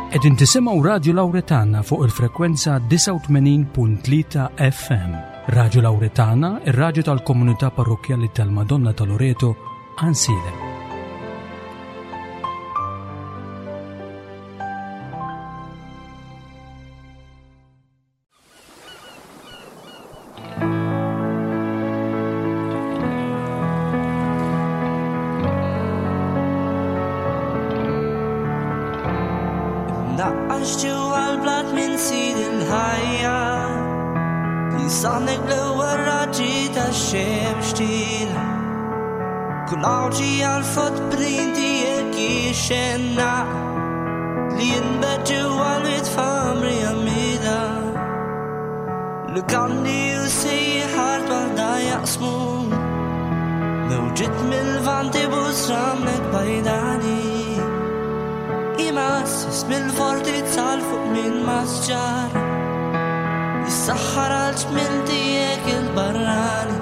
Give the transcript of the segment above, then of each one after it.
Qegħdin tisimgħu Radju Lawretana fuq il-frekwenza 89.3 FM. Radju Lawretana, ir-radju tal-komunità parrokkjali tal-Madonna ta' Loreto, Għansielem. Imnaqqax ġewwa l-blat minn sid il-ħajja li saħnek bl-ewwel raġġi tax-xemx tila. Kull għawġi għal-frott bnin tiegħek jixxennaq li jinbet ġewwa l-itfamri għammida. Lukandi u sejħar waħda jaqsmu Mewġiet mill-vanti busramlek bajdani Imassis mill-forti tal fuq minn masġar Jissaħħar għal ġmil tiegħek il-barrani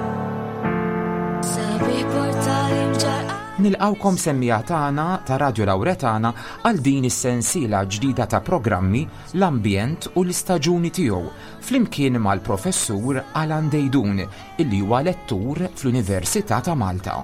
Sabiħ portali mġarqa Nilqgħukom semmiegħa tagħna ta' Radju Lawretana għal din is-sensiela ġdida ta' programmi L-Ambjent u l-Istaġuni Tiegħu flimkien mal-Professur Alan Deidun illi huwa lettur fl-Università ta' Malta.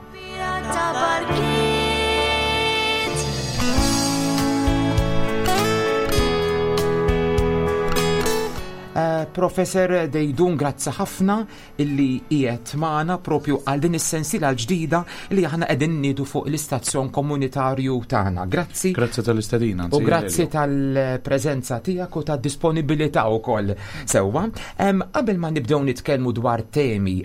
Eh, Professor Dejdun, grazzi ħafna illi qiegħed magħna propju għal din is-sensiela l-ġdida li aħna qegħdin niedu fuq l-istazzjon komunitarju tagħna. Grazzi. Grazzi tal-istedina. U grazzi tal-preżenza tiegħek u tad-disponibilità wkoll. Sewwa, qabel ma nibdew nitkellmu dwar temi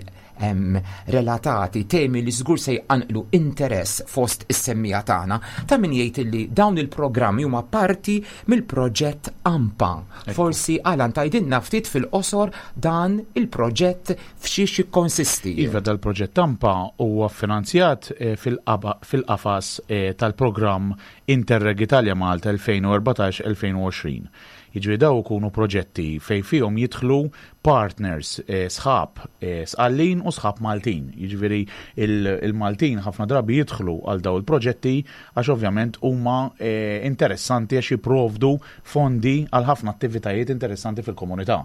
relatati, temi li żgur se jqanqlu interess fost is-semmiegħa tagħna, ta' min jgħid illi dawn il-programmi huma parti mill-proġett AMPA. Forsi Alan tgħidilna ftit fil-qosor dan il-proġett f'xiex jikkonsisti. Iva, dal-proġett AMPA huwa ffinanzjat eh, fil-qafas eh, tal-programm Interreg Italia Malta 2014-2020. Jiġifieri dawn ikunu proġetti fejn fihom jidħlu partners, sħab Sqallin u sħab Maltin. Jiġifieri il-Maltin ħafna drabi jidħlu għal dawn il-proġetti għax ovvjament huma interessanti għax jipprovdu fondi għal ħafna attivitajiet interessanti fil-komunità.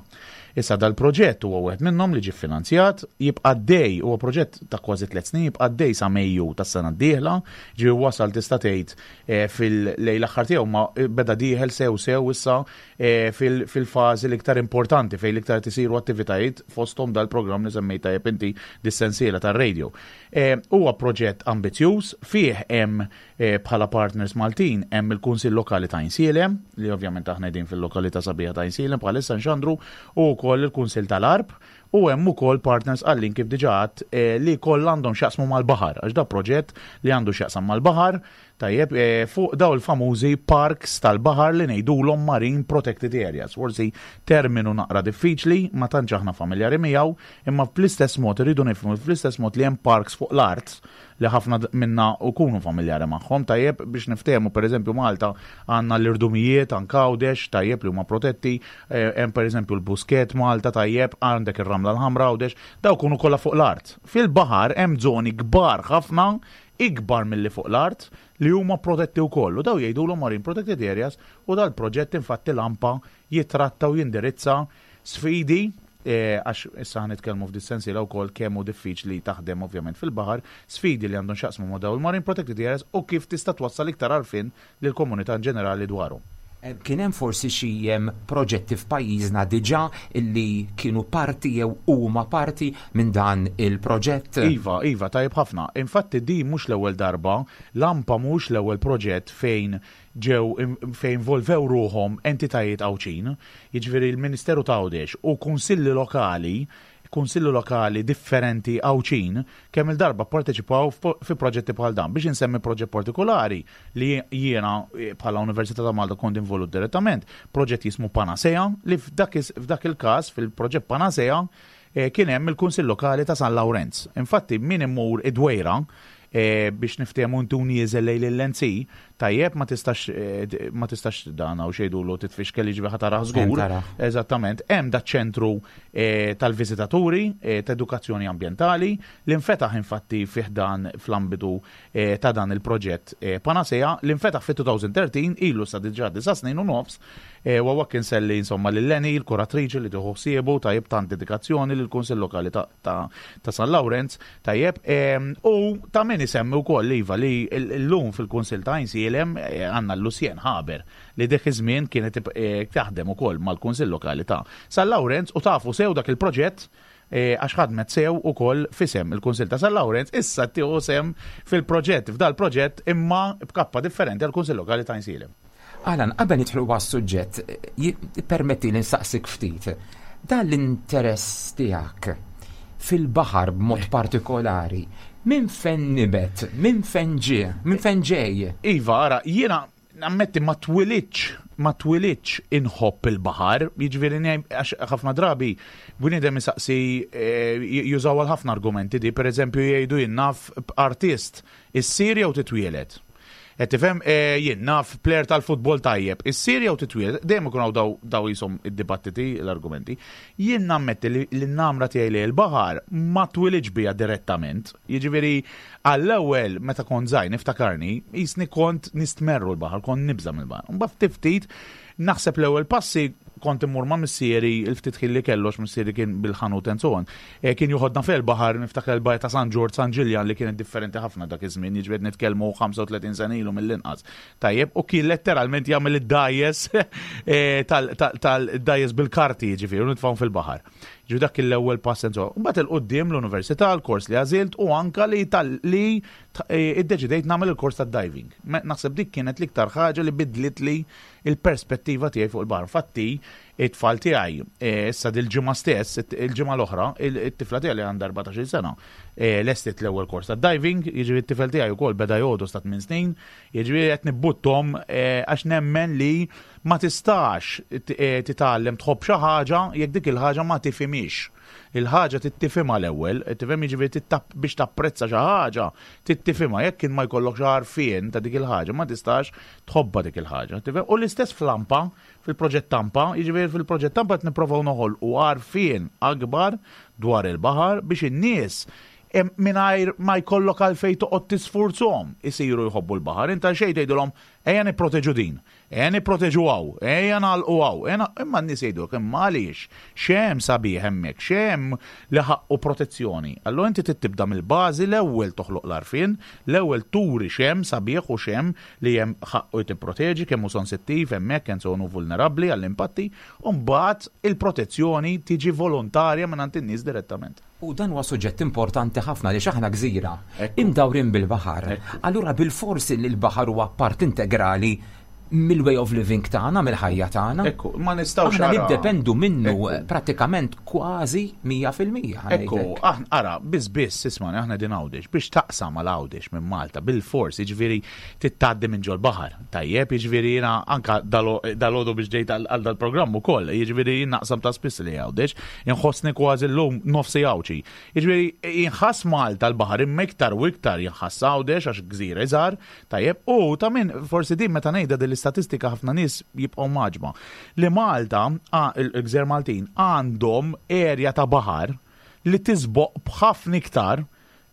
Issa dal-proġett huwa wieħed minnhom li ġie ffinanzjat, jibqa' għaddej, huwa proġett ta' kważi tliet snin, jibqa' għaddej sa Mejju tas-sena d-dieħla, ġifieri wasal tista' tgħid fil-lejn l-aħħar tiegħu ma beda dieħel sew sew issa fil-fażi l-iktar importanti fejn l-iktar qed isiru attivitajiet fosthom dal-programm li semmejt tajjeb inti dis-sensiela tar-radio. Huwa proġett ambizzjuż, fih hemm bħala partners Maltin hemm il-Kunsill Lokali ta' Għajnsielem, li ovvjament aħna qegħdin fil-lokalità sabiħa ta' Għajnsielem bħalissa nxandru, u wkoll il-Kunsill tal-Għarb, u hemm ukoll partners Sqallin kif diġà għedt li kollha għandhom x'jaqsmu mal-baħar, għax da proġett li għandu x'jaqsam mal-baħar, tajjeb, fuq daw il-famużi parks tal-baħar li ngħidulhom marine protected areas. Forsi terminu naqra diffiċli, ma tantx aħna familjari miegħu, imma fl-istess mod irridu nifhmu fl-istess mod li hemm parks fuq l-art li ħafna minna ukunu familjari magħhom, tajjeb biex niftehmu pereżempju Malta għandna l-irdumijiet anke Għawdex, tajjeb li huma protetti, eh, hemm pereżempju l-Buskett Malta tajjeb, għandek ir-Ramla l-Ħamra Għawdex, daw kunu kollha fuq l-art. Fil-baħar hemm żoni kbar ħafna, ikbar milli fuq l-art, li huma protetti wkoll u daw jgħidulhom marine protected areas u dal-proġett infatti l-AMPA jitratta u jindirizza sfidi għax issa ħa nitkellmu f'dis-sensiela wkoll kemm hu diffiċli taħdem ovvjament fil-baħar, sfidi li għandhom x'jaqsmu ma' dawn il-marine protected areas u kif tista' twassal iktar għarfien lill-komunità in ġenerali dwarhom. Kien hemm forsi xi proġetti f'pajjiżna diġà li kienu parti jew huma parti minn dan il-proġett? Iva, iva, tajjeb ħafna. Infatti din mhux l-ewwel darba, l-AMPA mhuwiex l-ewwel proġett fejn ġew fejn involvew ruħhom entitajiet Għawdxin, jiġifieri l-Ministeru t'Għawdex u kunsilli lokali, kunsilli lokali differenti Għawdxin kemm-il darba pparteċipaw fi proġetti bħal dan. Biex insemmi proġett partikolari li jiena bħala Università ta' Malta kont involut direttament, proġett jismu Panacea li f'dak il-każ fil-proġett Panacea kien hemm il-Kunsill Lokali ta' San Lawrenz. Infatti min imur id-Dwejra. Biex niftehmu intu nieżel lejn il-LNC, tajjeb ma tistax ma tistax dan hawn xejdulu titfixkel jiġifieri ħa tarah żgur. Eżattament, hemm da ċentru tal-viżitaturi ta' edukazzjoni ambjentali li nfetaħ infatti fih dan fl-ambitu ta' dan il-proġett Panacea li nfetaħ fit-2013 ilu sa diġà disa' snin u nofs U hawnhekk inselli insomma lil Leni, il-kuratriċi li tieħu ħsiebu, tajjeb tant dedikazzjoni lill-Kunsill Lokali ta' ta' San Lawrenz, tajjeb. U ta' min isemmi wkoll iva li llum fil-Kunsill ta' Għajnsielem għandna l-Lucien Haber li dik iż-żmien kienet taħdem ukoll mal-Kunsill Lokali ta' San Lawrenz u tafu sew dak il-proġett għax ħadmet sew ukoll f'isem il-Kunsill ta' San Lawrenz, issa tieħu sehem fil-proġett, f'dal-proġett imma b'kappa differenti għall-Kunsill Lokali ta' Għajnsielem. Alan, qabel nidħlu għas-suġġett, permetti li nsaqsik ftit. Dan l-interess tiegħek fil-baħar b'mod partikolari, minn fejn nibet, minn fejn ġie, minn fejn ġej? Iva, ara, jiena nammetti ma twilidx, ma twilidx inħobb il-baħar, jiġifieri għax ħafna drabi bniedem isaqsi eh, jużaw għal ħafna argumenti di, pereżempju jgħidu jien naf artist issir jew titwieled. Qed tifhem eh, jien naf plejer tal-futbol tajjeb, issir jew titwieled, dejjem ikun hawn daw daw jisom id-dibattiti, l-argumenti. Jien nammetti li l-namra tiegħi li l-baħar ma twilidx bija direttament. Jiġifieri għall-ewwel meta kont żgħir niftakarni, jisni kont nistmerru l-baħar, kont nibża' mill-baħar. Mbagħad ftit ftit naħseb l-ewwel passi kont immur ma' missieri il-ftit ħin li kellu għax missieri kien bil-ħanut and so on. Eh, kien joħodna fil-baħar niftakar il-bajja ta' San Ġorġ, San Ġiljan li kienet differenti ħafna dak iż-żmien, jiġifieri nitkellmu 35 sena ilu mill-inqas. Tajjeb, u kien letteralment jagħmel id-dajes eh, tal-dajes bil-karti jiġifieri u nitfgħu fil-baħar. Ġifieri dak kien l-ewwel pass and so on. Mbagħad il-qudiem l-università, l-kors li għażilt u anka li li eh, iddeċidejt nagħmel il-kors tad-diving. Naħseb dik kienet l-iktar ħaġa li bidlit li il-perspettiva tiegħi fuq il-baħar. Infatti, it-tfal tiegħi, eh, issa dil-ġimgħa stess, il-ġimgħa l-oħra, it-tifla tiegħi li għandha 14-il sena, eh, lestit l-ewwel kors ta' diving, jiġifieri t-tifel tiegħi wkoll beda jgħodu sta' 8 snin, jiġifieri qed nibbuttom eh, għax nemmen li ma tistax titgħallem tħobb xi ħaġa jekk dik il-ħaġa ma tifhimhiex. Il-ħaġa trid tifhimha l-ewwel, tifhem jiġifieri biex tapprezza xi ħaġa trid tifhimha, jekk ma jkollokx għarfien ta' dik il-ħaġa ma tistax tħobbha dik il-ħaġa. Tifhem? U l-istess fl-AMPA, fil-proġett Tampa, jiġifieri fil-proġett Tampa qed nipprovaw noħolqu għarfien akbar dwar il-baħar biex in-nies mingħajr ma jkollok għalfejn toqgħod tisfurzhom isiru jħobbu l-baħar. Inta xejn tgħidilhom ejja nipproteġu din. Ejja nipproteġu hawn, ejja nagħlqu hawn, ejja imma n-nies jgħidulek imma għaliex? X'hemm sabiħ hemmhekk? X'hemm li ħaqqu protezzjoni? Allura inti trid tibda mill-bażi l-ewwel toħloq l-għarfien, l-ewwel turi x'hemm sabiħ u x'hemm li hemm ħaqqu jtipproteġi, kemm hu sensittiv hemmhekk, kemm hu vulnerabbli għall-impatti, u mbagħad il-protezzjoni tiġi volontarja mingħand in-nies direttament. U dan huwa suġġett importanti ħafna għaliex aħna gżira, imdawrin bil-baħar. Allura bilfors li l-baħar huwa part integrali mill-way of living tagħna, mill-ħajja tagħna. Ekku, ma nistgħux Aħna niddependu minnu prattikament kważi 100%. Ekku, aħna ara, biss biss ismani aħna din Għawdex biex taqsam għal Għawdex minn Malta bil-fors, jiġifieri titgħaddi minn ġol-baħar. Tajjeb, jiġifieri jiena anka dal-għodu biex ġejt għal dal-programm ukoll, jiġifieri jien naqsam ta' spiss li Għawdex, inħossni kważi llum nofsi Għawdxi. Jiġifieri jinħass Malta l-baħar imma iktar u iktar jinħass Għawdex għax gżira iżgħar, tajjeb, u ta' min forsi din meta ngħidha din l-istatistika ħafna nies jibqgħu mgħaġġba. Li Malta, il-gżejjer Maltin għandhom erja ta' baħar li tisboq b'ħafna iktar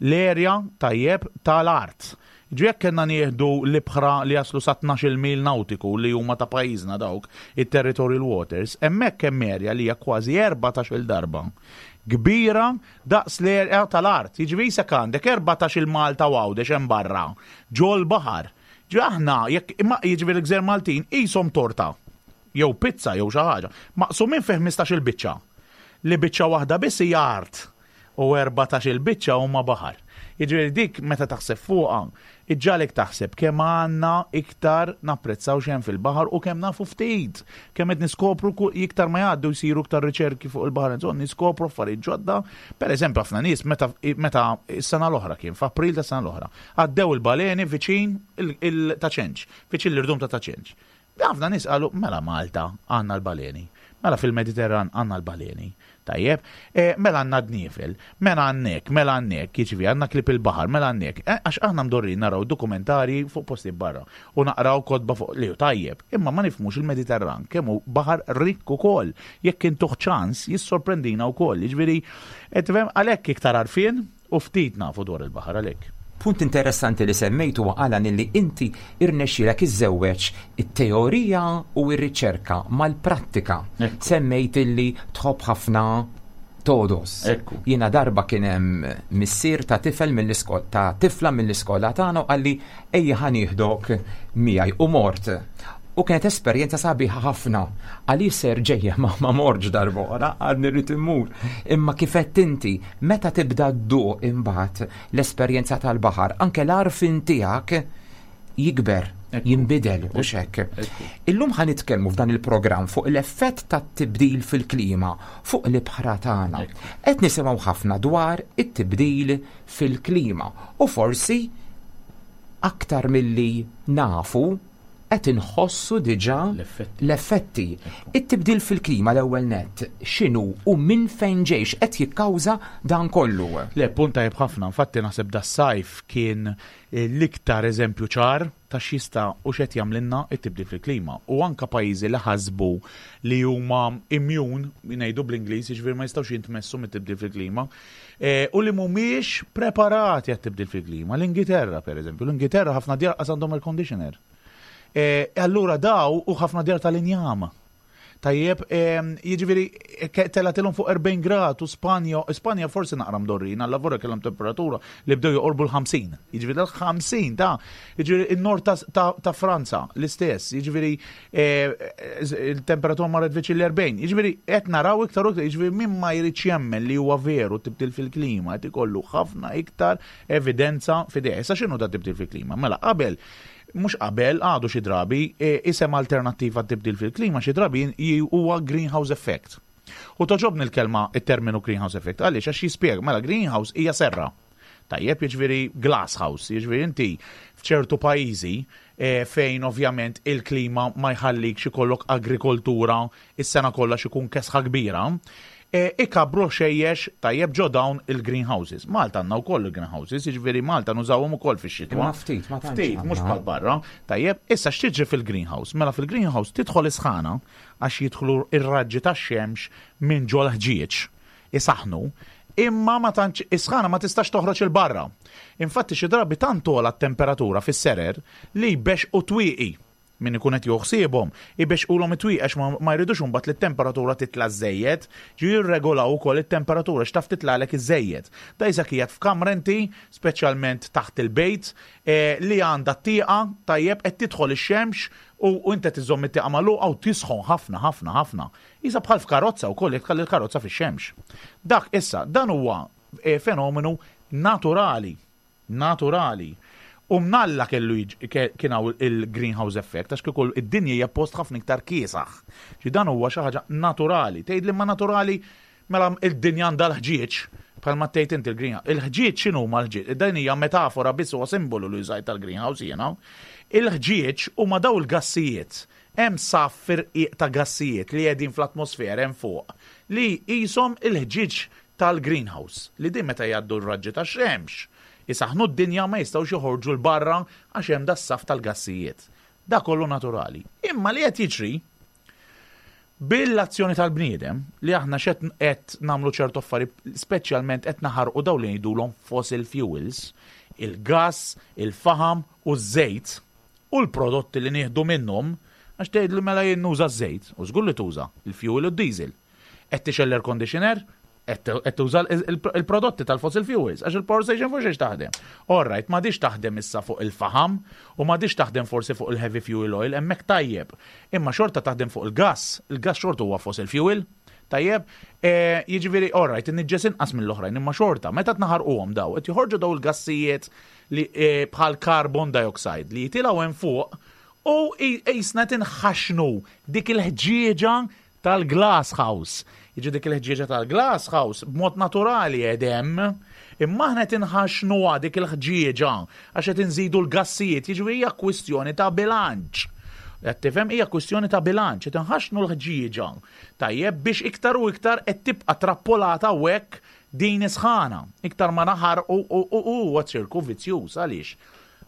l-erja, tajjeb, ta' l-art. Jiġifieri jekk kellna nieħdu l-ibħra li jaslu sa 12-il mil nawtiku li huma ta' pajjiżna dawk, it-territorial waters, hemmhekk hemm erja li hija kważi 14-il darba kbira daqs l-erja tal-art. Jiġifieri qisek għandek 14-il Malta u Għawdex hemm barra, ġol-baħar. Jiġifieri aħna jekk, jiġifieri l-gżejjer Maltin qishom torta jew pizza jew xi ħaġa, maqsumin fi 15-il biċċa. Li biċċa waħda biss hija art. u 14-il biċċa huma baħar. Jiġifieri dik meta taħseb fuqha, iġġagħlek taħseb kemm għandna iktar napprezzaw x'hemm fil-baħar u kemm nafu ftit, kemm qed niskopru iktar ma jgħaddu jsiru iktar riċerki fuq il-baħar insomma niskopru affarijiet ġodda. Per eżempju ħafna nies meta meta s-sena l-oħra kien f'April tas-sena l-oħra, għaddew il-baleni viċin ta' Ċenċ, viċin l-irdum ta' Ta' Ċenċ. Ħafna nies qalu mela Malta għandna l-baleni. Mela fil-Mediterran għandna l-baleni. Tajjeb, eh, mela għandna dniefel, mela għandek, mela għandek, jiġifieri għandna klieb il-baħar, mela għandek. Eh, għax aħna mdorrin naraw dokumentarji fuq postijiet barra u naqraw kotba fuq li hu tajjeb, imma ma nifhmux il-Mediterran kemm hu baħar rikk ukoll. Jekk intuh ċans jissorprendina wkoll. Jiġifieri, qed tifhem għalhekk iktar għarfien U ftit nafu dwar il-baħar għalhekk. Punt interessanti li semmejt huwa Alan illi inti irnexxielek iżżewweġ it-teorija u r-riċerka mal-prattika. Semmejt illi tħobb ħafna togħdos. Ekku. Jiena darba kien hemm missier ta' tifel mill-iskola ta' tifla mill-iskola tagħna u qalli ejja ħa nieħdok miegħi u mort. U kienet esperjenza sabiħa ħafna. Għaliex ser ġejja ma ma mortx darb'oħra, għadni rrid immur. Imma kif għedt inti, meta tibda dduq imbagħad l-esperjenza tal-baħar, anke l-għarfien tiegħek jikber, jinbidel u xekk. Illum ħa nitkellmu f'dan il-programm fuq l-effett tat-tibdil fil-klima fuq l-ibħra tagħna. Qed nisimgħu ħafna dwar it-tibdil fil-klima u forsi aktar milli nafu qed inħossu diġà l-effetti. It-tibdil fil-klima l-ewwel nett x'inhu u minn fejn ġej x'qed jikkawża dan kollu? Le, punt tajjeb ħafna. Infatti naħseb das-sajf kien l-iktar eżempju ċar ta' x'jista' u x'qed jagħmlilna t-tibdil fil-klima. U anke pajjiżi li ħasbu li huma immune, ngħidu bl-Ingliż, jiġifieri ma jistgħux jintmessu mit-tibdil fil-klima, U li mhumiex preparati għat-tibdil fil-klima. L-Ingilterra, per eżempju, l-Ingilterra ħafna djar qas għandhom air conditioner. Allura daw u ħafna djar tal-injam. Tajjeb, jiġifieri telatilhom fuq 40 grad u Spanja, Spanja forsi naqra mdorrin, alla vorja kellhom temperatura li bdew joqorbu l-50. Jiġifieri l-50 ta' jiġifieri in-nord ta' Franza l-istess, jiġifieri il-temperatura marret viċin l-40. Jiġifieri qed naraw iktar u iktar, jiġifieri min ma jridx jemmen li huwa veru tibdil fil-klima qed ikollu ħafna iktar evidenza f'idejh. Issa x'inhu da tibdil fil-klima? Mela qabel mhux qabel, għadu xi drabi, isem alternattiv għat-tibdil fil-klima xi drabi huwa greenhouse effect. U togħġobni l-kelma, it-terminu greenhouse effect, għaliex? Għax jispjega, mela greenhouse hija serra. Tajjeb, jiġifieri glass house, jiġifieri inti f'ċertu pajjiżi fejn ovvjament il-klima ma jħallikx ikollok agrikoltura is-sena kollha għax ikun kesħa kbira, ikabbru ħxejjex tajjeb ġo dawn il-greenhouses. Malta għandna wkoll il-greenhouses, jiġifieri Malta nużawhom ukoll fix-xitwa. Imma ftit, ma tantx. Ftit, mhux bħal barra. Tajjeb, issa x'tiġri fil-greenhouse? Mela fil-greenhouse tidħol is-sħana għax jidħlu r-raġġi tax-xemx minn ġol-ħġieġ isaħħnu, imma ma tantx is-sħana ma tistax toħroġ 'il barra. Infatti xi drabi tant togħla t-temperatura fis-serer li jbexxqu twieqi. Min ikun qed jieħu ħsiebhom, ibexxqulhom it-twieqi għax ma jridux imbagħad li t-temperatura titla' żżejjed, ġifieri jirregolaw ukoll it-temperatura għax taf titlagħlek iżżejjed. Da qisek qiegħed f'kamra inti, speċjalment taħt il-bejt, li għandha t-tieqa, tajjeb, qed tidħol ix-xemx u inti qed iżżomm it-tieqa magħluqa u tisħon ħafna ħafna ħafna. Qisha bħal f'karozza wkoll jekk tħalli l-karozza fix-xemx. Dak issa, dan huwa fenomenu naturali. Naturali. U mnalla kellu kien hawn il-greenhouse effect għax kieku id-dinja hija post ħafna iktar kiesaħ. Ġi dan huwa xi ħaġa naturali. Tgħidli ma naturali mela id-dinja għandha l-ħġieġ bħalma tgħid inti l-greenhouse. Il-ħġieġ x'inhuma l-ħġieġ? Dan hija metafora biss huwa simbolu li użajt tal-greenhouse jiena. Il-ħġieġ huma daw il-gassijiet Hemm saff irqiq ta' gassijiet li qegħdin fl-atmosfera hemm fuq li qishom il-ħġieġ tal-greenhouse li din meta jgħaddu r-raġġi tax-xemx isaħħnu d-dinja ma jistgħux joħorġu 'l barra għax hemm das-saff tal-gassijiet. Da kollu naturali. Imma li qed jiġri bil-azzjoni tal-bniedem li aħna x'qed qed nagħmlu ċertu affarijiet speċjalment qed naħarqu dawn li ngħidulhom fossil fuels, il-gass, il-faħam u ż-żejt, U l-prodotti li nieħdu minnhom, għax tgħidli mela jien nuża ż-żejt, u żgur li tuża, il-fuel u d-diesel. Qed tixgħel l-air conditioner, qed tuża l-prodotti tal-fossil fuels, għax il-power station fuq xiex taħdem. All right, m'għadhiex taħdem issa fuq il-faħam u m'għadhiex taħdem forsi fuq il-heavy fuel oil, hemmhekk tajjeb. Imma xorta taħdem fuq il-gass, il-gass xorta huwa fossil fuel. Tajjeb, jiġifieri, all right, inniġġes inqas mill-oħrajn, imma xorta, meta tnaħarquhom daw, qed joħorġu daw il-gassijiet li bħal carbon dioxide li jitilgħu hemm fuq u qisna qed inħaxxnu dik il-ħġieġa tal-glass house. Jiġi dik il-ħġieġa tal-glass house b'mod naturali qed hemm, imma aħna qed inħaxxnuha dik il-ħġieġa għax qed inżidu l-gassijiet, jiġifieri hija kwistjoni ta' bilanċ. Qed tifhem hija kwistjoni ta' bilanċ, qed inħaxxnu l-ħġieġa tajjeb biex iktar u iktar qed tibqa' trappolata hawnhekk din is-sħana. Iktar ma naħarqu u huwa ċirku vizzjuż għaliex?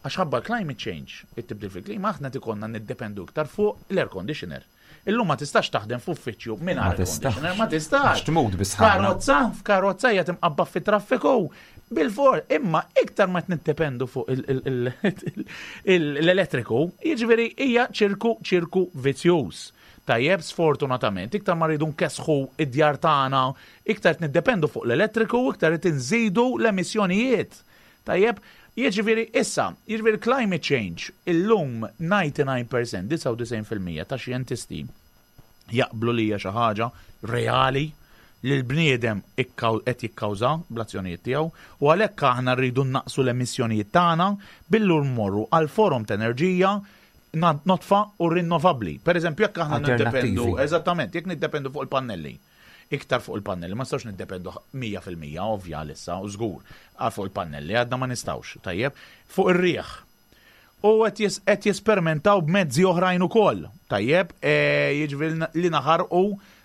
Għax ħabba l-climate change, it-tibdil fil-klima, aħna qed ikollna niddependu iktar fuq l-air conditioner. Illum ma tistax taħdem f'uffiċċju mingħajr air conditioner, ma tistax. Għax tmut bis-sħana. Karozza, f'karozza hija timqabba fit-traffiku. Bil-for, imma iktar ma niddependu fuq l-elettriku, jiġifieri hija ċirku ċirku vizzjuż. Tajjeb, sfortunatament, iktar ma rridu nkessħu id-djar tagħna, iktar qed niddependu fuq l-elettriku, iktar qed inżidu l-emissjonijiet. Tajjeb, jiġifieri issa, jiġifieri climate change, illum 99%, 99% ta' xjentisti jaqblu li hija xi ħaġa reali li l-bniedem qed jikkawża bl-azzjonijiet tiegħu u għalhekk aħna rridu nnaqqsu l-emissjonijiet tagħna billi mmorru għal forom ta' enerġija nodfa u rinnovabbli. Per eżempju, jekk aħna niddependu, eżattament, jekk niddependu fuq il-pannelli, iktar fuq il-pannelli, ma nistgħux niddependu 100% ovvja għalissa u żgur fuq il-pannelli għadna ma nistgħux, tajjeb, fuq ir-riħ. U qed jesperimentaw b'mezzi oħrajn ukoll. Tajjeb, e, jiġifieri li naħarqu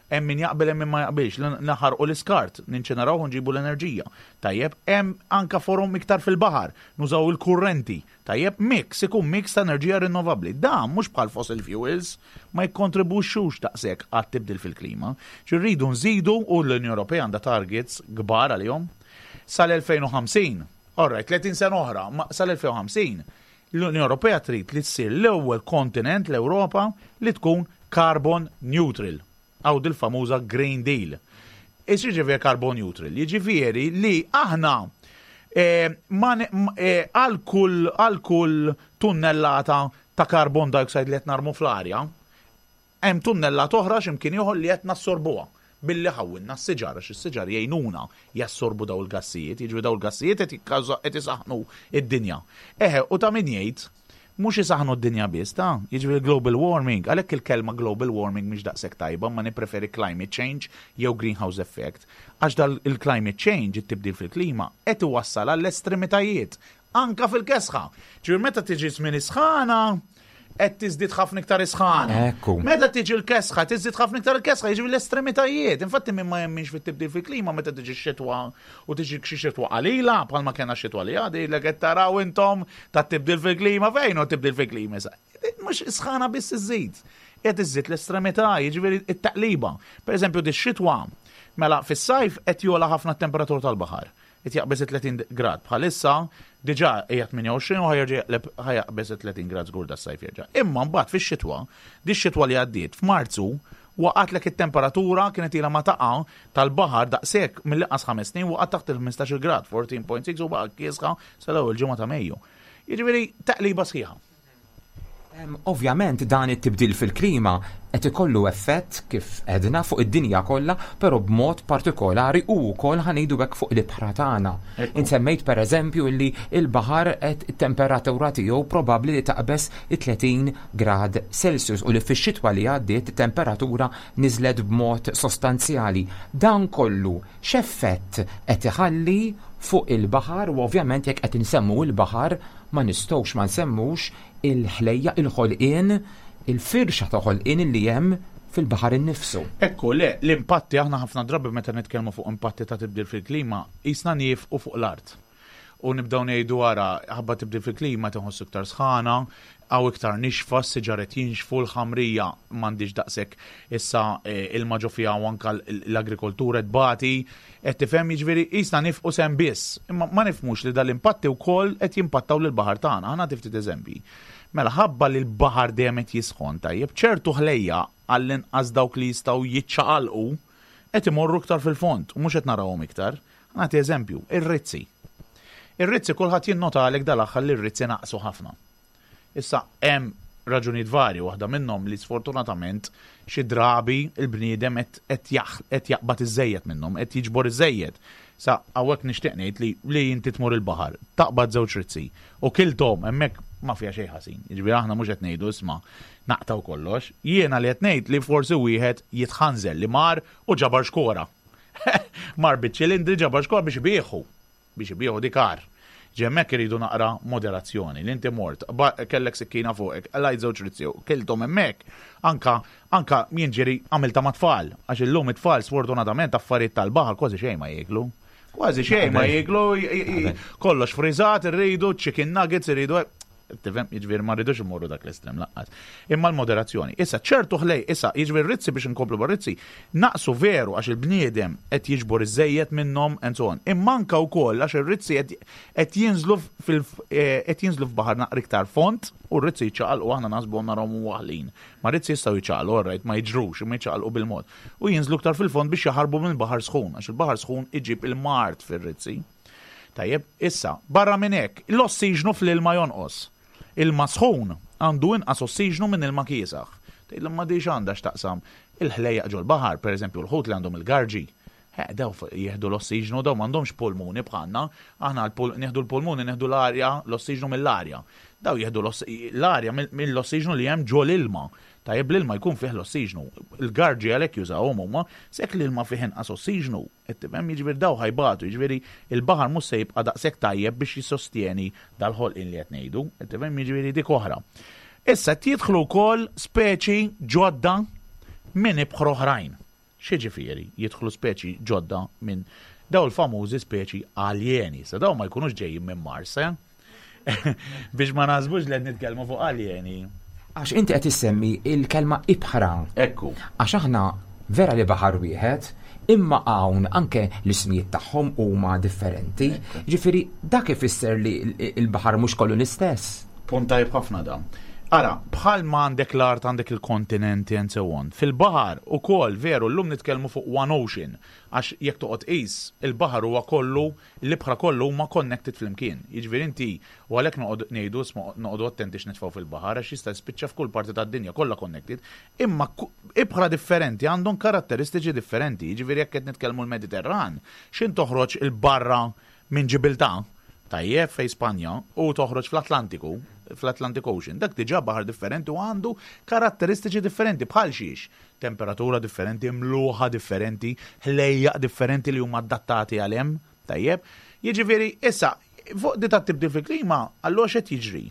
hemm min jaqbel hemm min ma jaqbilx, li naħarqu l-iskart, ninċineraw u nġibu l-enerġija. Tajjeb, hemm anka forom iktar fil-baħar, nużaw il-kurrenti. Tajjeb, mix, ikun mix ta' enerġija rinnovabbli. Dan mhux bħal fossil fuels ma jikkontribwixxux daqshekk għat-tibdil fil-klima. Rridu nżidu u l-Unjoni Ewropea għandha targets kbar għalihom sal-2050 All right, 30 sena oħra, ma sal-2050 l-Unjoni Ewropea trid li ssir l-ewwel kontinent l-Ewropa li tkun carbon neutral. Hawn dil-famuża Green Deal. X'jiġifieri carbon neutral? Jiġifieri li aħna eh, eh, għal kull għal kull tunnellata ta' carbon dioxide li qed narmu fl-arja, Hemm tunnellata oħra xi mkien ieħor li qed nassorbuha billi ħawwilna s-siġar għax is-siġar jgħinuna jassorbu dawn il-gassijiet, jiġifieri dawn il-gassijiet qed jikkawża qed isaħħnu d-dinja. Eħe, u ta' min jgħid, mhux isaħħnu d-dinja biss, ta', jiġifieri global warming, għalhekk il-kelma global warming mhix daqshekk tajba, imma nippreferi climate change jew greenhouse effect, għax dal il-climate change, it-tibdil fil-klima, qed iwassal għall-estremitajiet, anka fil-kesħa. Ġifieri meta tiġi żmien is-sħana, qed tiżdied ħafna iktar isħana. Ekku. Meta tiġi l-kesħa, tiżdied ħafna iktar il-kesħa, jiġifieri l-estremitajiet. Infatti min ma jemminx fit-tibdil fil-klima meta tiġi x-xitwa u tiġi xi xitwa qalila, bħalma kellna x-xitwa li għadi, li qed taraw intom tat-tibdil fil-klima fejn hu tibdil fil-klima issa. Mhux isħana biss iżżid. Qed iżżid l-estremità, jiġifieri t-taqliba. Per eżempju, dix-xitwa, mela fis-sajf qed jogħla ħafna t-temperatura tal-baħar. Qed jaqbeż it-30 grad. Bħalissa diġà hija 28 u ħajerġa' jaqleb ħa jaqbeż it-30 grad żgur das-sajf jerġa'. Imma mbagħad fix-xitwa, dix-xitwa li għaddiet, f'Marzu waqgħatlek it-temperatura kienet ilha ma taqa' tal-baħar daqshekk mill-inqas ħames snin waqgħet taħt il-15-il grad, 14.6 u baqgħet kiesħa sal-ewwel ġimgħa ta' Mejju. Jiġifieri taqliba sħiħa. Ovvjament dan it-tibdil fil-klima qed ikollu effett kif għedna fuq id-dinja kollha, però b'mod partikolari u wkoll ħa ngħidu hekk fuq l-ibħra tagħna. Insemmejt pereżempju li l-baħar qed it-temperatura tiegħu probabbli li taqbeż it-30 grad Celsius u li fix-xitwa li għaddiet it-temperatura niżlet b'mod sostanzjali. Dan kollu x'effett qed iħalli fuq il-baħar u ovvjament jekk qed insemmu l-baħar ma nistgħux ma nsemmux il-ħlejjaq, il-ħolqien, il-firxa ta' ħolqien li hemm fil-baħar innifsu. Ekku, le, l-impatti aħna ħafna drabi meta nitkellmu fuq impatti ta' tibdil fil-klima, qisna niefqu fuq l-art. U nibdew ngħidu ara, ħabba tibdil fil-klima qed inħossu iktar sħana, hawn iktar nixfa, s-siġar qed jinxfu, l-ħamrija m'għandhiex daqshekk issa ilma ġo fiha u anke l-agrikoltura qed tbati. Qed tifhem? Jiġifieri qisna nifqu sehem biss. Imma ma nifhmux li dal-impatti wkoll qed jimpattaw lill-baħar tagħna. Ħa nagħti ftit eżempji. Mela ħabba li l-baħar dejjem qed jisħon, tajjeb, ċertu ħlejjaq, għall-inqas dawk li jistgħu jiċċaqalqu, qed imorru iktar fil-fond u mhux qed narawhom iktar. Ħa nagħti eżempju, ir-rizzi. Ir-rizzi kulħadd jinnotalek dal-aħħar li r-rizzi naqsu ħafna. Issa hemm raġunijiet varji, waħda minnhom li sfortunatament xi drabi l-bniedem qed qed jaqbad iżżejjed minnhom, qed jiġbor iżżejjed. Sa hawnhekk nixtieq ngħid li li inti tmur il-baħar, taqbad żewġ rizzi u kilthom hemmhekk ma fiha xejn ħażin. Jiġifieri aħna mhux qed ngħidu isma' naqtgħu kollox. Jiena li qed ngħid li forsi wieħed jitħanżel li mar u ġabar xkora. Mar biċ-ċilindri ġabar xkora biex ibigħu. biex ibigħu dik agħar. Ġi hemmhekk iridu naqra moderazzjoni, li inti mort, kellek sikkina fuqek, qlajt żewġ rizzi u kilthom hemmhekk, anka anka jien ġieli għamiltha mat-tfal, għax illum it-tfal sfortunatament affarijiet tal-baħar kważi xejn ma jieklu. Kważi xejn ma jieklu, kollox friżat, irridu chicken nuggets, irridu Tifhem, jiġifieri ma rridux immorru dak l-estrem laqqas. Imma l-moderazzjoni. Issa ċertu ħlej, issa jiġifieri rizzi biex inkomplu bar-rizzi, naqsu veru għax il-bniedem qed jiġbor iżejjed minnhom and so on. Imma anka wkoll għax ir-rizzi qed jinżlu fil eh, qed jinżlu f'baħar naqra iktar fond u r-rizzi jiċċaqalqu aħna naħsbu narahom waħlin. Ma rizzi jistgħu jiċċaqalqu, all right, ma jiġrux, imma jiċċaqalqu bil-mod. U jinżlu iktar fil-fond biex jaħarbu minn baħar sħun, għax il-baħar sħun iġib il-mard fir-rizzi. Tajjeb, issa, barra minn hekk, l-ossiġnu fl-ilma jonqos. Ilma sħun għandu inqas ossiġnu minn ilma kiesaħ. Tgħidli ma di x'għandha x'taqsam? Il-ħlejjaq ġol-baħar, pereżempju l-ħut li għandhom il-garġi, eh, daw jieħdu l-ossiġnu, daw m'għandhomx pulmuni bħalna. Aħna nieħdu l-pulmuni, nieħdu l-arja, l-ossiġnu mill-arja. Daw jieħdu l-arja mill-ossiġnu li hemm ġol-ilma. Tajjeb l-ilma jkun fih l-ossiġnu. Il-garġi għalhekk jużawhom huma, sekk l-ilma fih inqas ossiġnu, qed tifhem? Jiġifieri daw ħa jbatu, jiġifieri l-baħar mhux se jibqa' daqshekk tajjeb biex jissostjeni dal-ħolqien li qed ngħidu, qed tifhem? Jiġifieri dik oħra. Issa qed jidħlu wkoll speċi ġodda minn ibħra oħrajn. X'jiġifieri jidħlu speċi ġodda minn daw il-famużi speċi aljeni. Sa daw ma jkunux ġejjin minn Mars, eh? Biex ma naħsbux li qed nitkellmu fuq aljeni. Għax inti qed issemmi il-kelma ibħra. Ekku. Għax aħna vera li baħar wieħed, imma hawn anke l-ismijiet tagħhom huma differenti. Ġifieri dak ifisser li l-baħar mhux kollu l-istess. Punt tajjeb ħafna dan. Ara, bħal ma għandek l-art għandek il-kontinenti and so on. Fil-baħar ukoll veru llum nitkellmu fuq one ocean għax jekk toqgħod tqis il-baħar huwa kollu l-ibħra kollu huma connected flimkien. Jiġifieri inti u għalhekk noqogħdu ngħidu isma' noqogħdu attenti x'nitfgħu fil-baħar għax jista' jispiċċa f'kull parti tad-dinja kollha connected. Imma ibħra differenti għandhom karatteristiċi differenti. Jiġifieri jekk qed nitkellmu l-Mediterran, x'int toħroġ 'il barra Minn Ġibiltà, tajjeb, fejn Spanja, u toħroġ fl-Atlantiku, fl-Atlantic Ocean, dak diġà baħar differenti u għandu karatteristiċi differenti bħal xiex? Temperatura differenti, mluħa differenti, ħlejjaq differenti li huma adattati għal hemm, tajjeb. Jiġifieri, issa, fuq di tat-tibdil fil-klima, allura x'qed jiġri?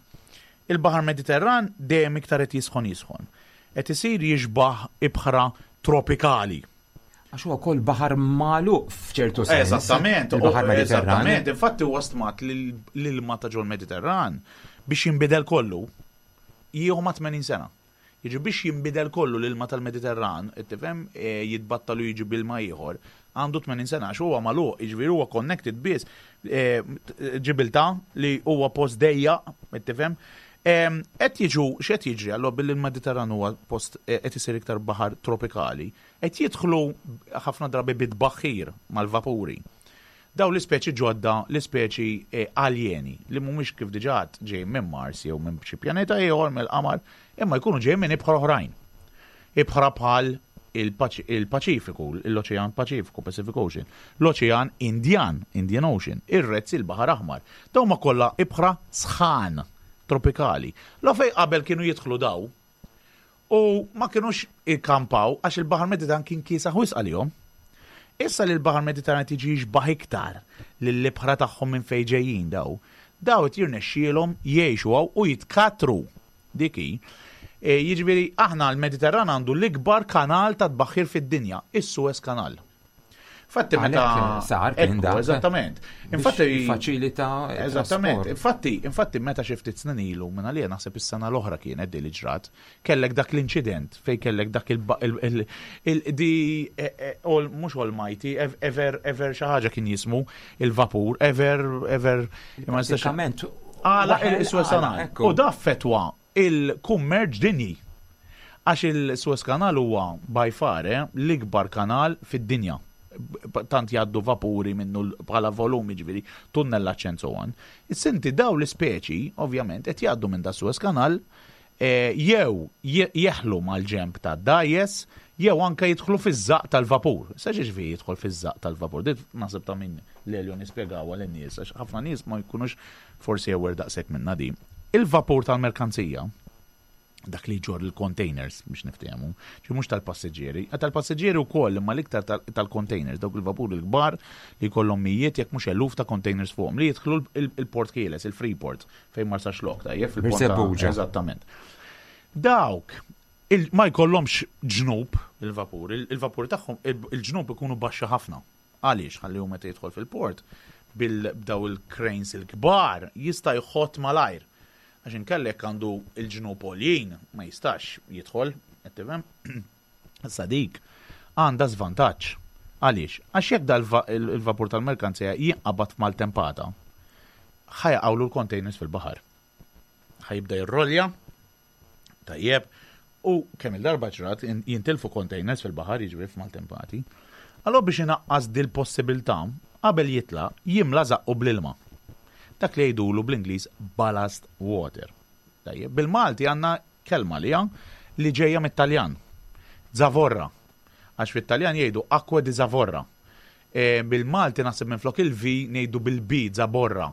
Il-Baħar Mediterran dejjem iktar qed jisħon jisħon. Qed isir jixbah ibħra tropikali. Għax huwa wkoll baħar magħluq f'ċertu sens. Eżattament, il-baħar Mediterran. Eżattament, infatti huwa stmat li l-ilma ta' ġol-Mediterran biex jinbidel kollu jieħu ma' 80 sena. Jiġi biex jinbidel kollu l-ilma tal-Mediterran, tifhem, e, jitbattalu jiġi bilma ieħor, għandu 80 sena għax huwa magħluq, jiġifieri huwa connected biss e, Ġibiltà li huwa post dejjaq, tifhem. E, qed jiġu x'qed jiġri allura billi l-Mediterran huwa post qed isir iktar baħar tropikali, Qed jidħlu ħafna drabi bi tbaħħir mal-vapuri. Dawn l-ispeċi ġodda, l-ispeċi aljeni, li mhumiex kif diġà għedt ġejjin minn Mars jew minn xi pjaneta ieħor, mill-qamar, imma jkunu ġejjin minn ibħra oħrajn. Ibħra bħal il-Paċifiku, l-Oċean Paċifiku, Pacific Ocean, l-Oċean Indjan, Indian Ocean, ir-Red Sea, il-Baħar Aħmar. Dawn huma kollha ibħra sħan, tropikali. Lo fejn qabel kienu jidħlu daw, U ma kinux ikkampaw għax il-Baħar Mediterran kien kiesaħ wisq għalihom. Issa li l-Baħar Mediterran qed jiġi jixbah iktar lill-ibħra tagħhom minn fejn ġejjin daw, daw qed jirnexxielhom jgħixu hawn u jitkattru. Dik hi. E, jiġifieri aħna l-Mediterran għandu l-ikbar kanal ta' tbaħħir fid-dinja, is-Suez Canal. Infatti meta sar kien dak. Eżattament. Infatti faċilita. Eżattament. Infatti, infatti meta xi ftit snin ilu minn għalija naħseb is-sena l-oħra kienet di li ġrat, kellek dak l-inċident fej kellek dak il di e, e, all mhux almighty ever ever xi ħaġa kien jismu il-vapur ever ever ma nistax. Għala il-Suez Canal. U da fetwa il-kummerċ dinji. Għax il-Suez Canal huwa by far eh, l-ikbar kanal fid-dinja. Tant jgħaddu vapuri minnu bħala volum jiġifieri tunnellaġġ and so on. Issa inti dawn l-ispeċi ovvjament qed jgħaddu minn da Suez Canal eh, jew jeħlu mal-ġenb tad-dgħajjes jew anke jidħlu fiż-żaqq tal-vapur. Issa x'jiġifieri jidħol fiż-żaqq tal-vapur? Din naħseb ta' min Lelio nispjegawha lin-nies għax ħafna nies ma jkunux forsi aware daqshekk minnha din. Il-vapur tal-merkanzija. Dak li jġorr il-containers biex niftehmu, ġi mhux tal-passiġġieri, tal-passiġġieri wkoll imma l-iktar tal-containers, dawk il-vapuri l-kbar li jkollhom mijiet jekk mhux eluf ta' containers fuqhom li jidħlu il-port ħieles, il-Freeport fejn Marsaxlokk, tajjeb fil-port. Eżattament. Dawk ma jkollhomx ġnub il-vapur, il-vapur tagħhom il-ġnub ikunu baxxi ħafna. Għaliex? Ħalli hu meta jidħol fil-port bil-daw il-cranes il-kbar jista' jħott malajr. Għax inkella jekk għandu l-ġnub għoljin ma jistax jidħol, qed tifhem? Issa dik għandha żvantaġġ. Għaliex? Għax jekk dal il-vapur tal-merkanzija jinqabad f'maltempata, ħa jaqgħulu l-containers fil-baħar. Ħa jibda jirrolja, tajjeb, u kemm il-darba ġrat jintilfu containers fil-baħar, jiġifieri f'maltempati. Allora biex inaqqas dil-possibilità, qabel jitla' jimla żaqqu bl-ilma. Dak li jgħidulu bl-Ingliż ballast water. Tajjeb, bil-Malti għandna kelma li li ġejja mit-Taljan. Zavorra. Għax fit-Taljan jgħidu acqua di zavorra. E, bil-Malti naħseb minflok il-V ngħidu bil-B, zaborra.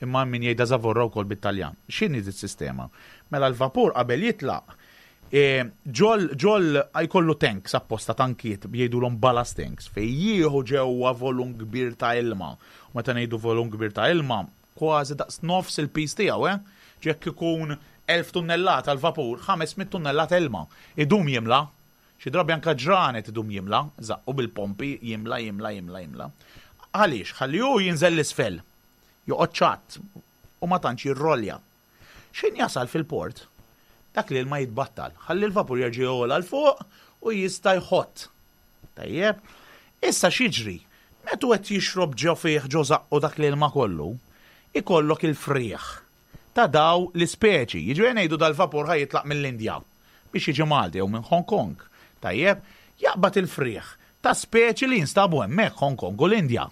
Imma min jgħidha zavorra wkoll bit-Taljan. X'inhi dis-sistema? Mela l-vapur qabel jitlaq e, ġol ġol jkollu tanks apposta tankiet jgħidulhom ballast tanks fejn jieħu ġewwa volum kbir ta' ilma. U meta ngħidu volum kbir ta' ilma, kważi daqs nofs il-piż tiegħu, eh? Jekk ikun 1000 tunnellata l-vapur, 500 tunnellata ilma. Idum jimla. Xi drabi anke ġranet idum jimla, żaqqu bil-pompi, jimla, jimla, jimla, jimla. Għaliex? Ħalli hu jinżel 'l isfel. Joqgħod ċatt u ma tantx jirrolja. X'ħin jasal fil-port, dak l-ilma jitbattal, ħalli l-vapur jerġa' jogħla 'l fuq u jista' jħott. Tajjeb? Issa x'jiġri? Meta hu qed jixrob ġo fih ġo żaqqu dak l-ilma kollu, ikollok il-frieħ ta' daw l-ispeċi. Jiġifieri ngħidu dal-vapur ħa jitlaq mill-Indja biex jiġi Malta jew minn Hong Kong. Tajjeb? Jaqbad il-frieħ ta' speċi li jinstabu hemmhekk Hong Kong u l-Indja.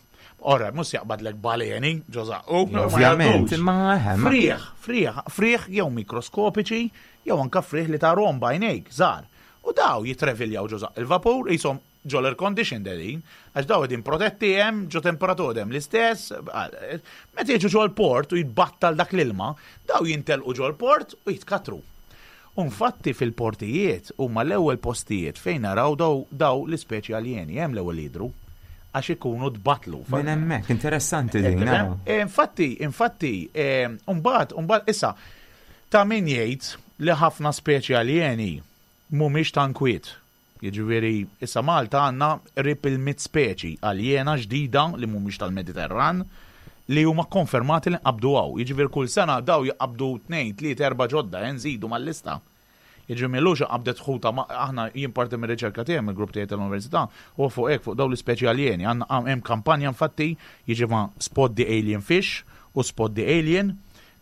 Ora, mhux jaqbadlek baleni ġo żaqqu. Ovvjament, imma eħe. Frieħ, frieħ, frieħ jew mikroskopiċi jew anke frieħ li tarhom b'għajnejk, żgħar. U daw jitreviljaw ġo żaqq il-vapur, qishom ġo l-air condition dedin, għax daw qegħdin protetti hemm, ġo temperatura hemm l-istess, meta jiġu ġo l-port u jitbattal dak l-ilma, daw jintelqu ġo l-port u jitkatru. U infatti fil-portijiet huma l-ewwel postijiet fejn naraw daw, daw l-ispeċi aljeni, hemm l-ewwel jidhru għax ikunu tbatlu. Minn hemmhekk, interessanti din. Eh, infatti, infatti, eh, mbagħad, mbagħad issa ta' min jgħid li ħafna speċi aljeni mhumiex ta' nkwiet. Jiġifieri, issa Malta għandna qrib il-mitt speċi aljena ġdida li mhumiex tal-Mediterran li huma kkonfermati li nqabdu hawn. Jiġifieri kull sena daw jaqbdu tnejn, tliet, erba' ġodda, eh, nżidu mal-lista. Jiġifieri m'ilux inqabdet ħuta aħna jien parti mir-riċerka tiegħi mill-grupp tiegħi tal-università huwa fuq hekk fuq dawn l-ispeċi aljeni. Għandna hemm kampanja infatti jiġifieri Spot the Alien Fish u Spot the Alien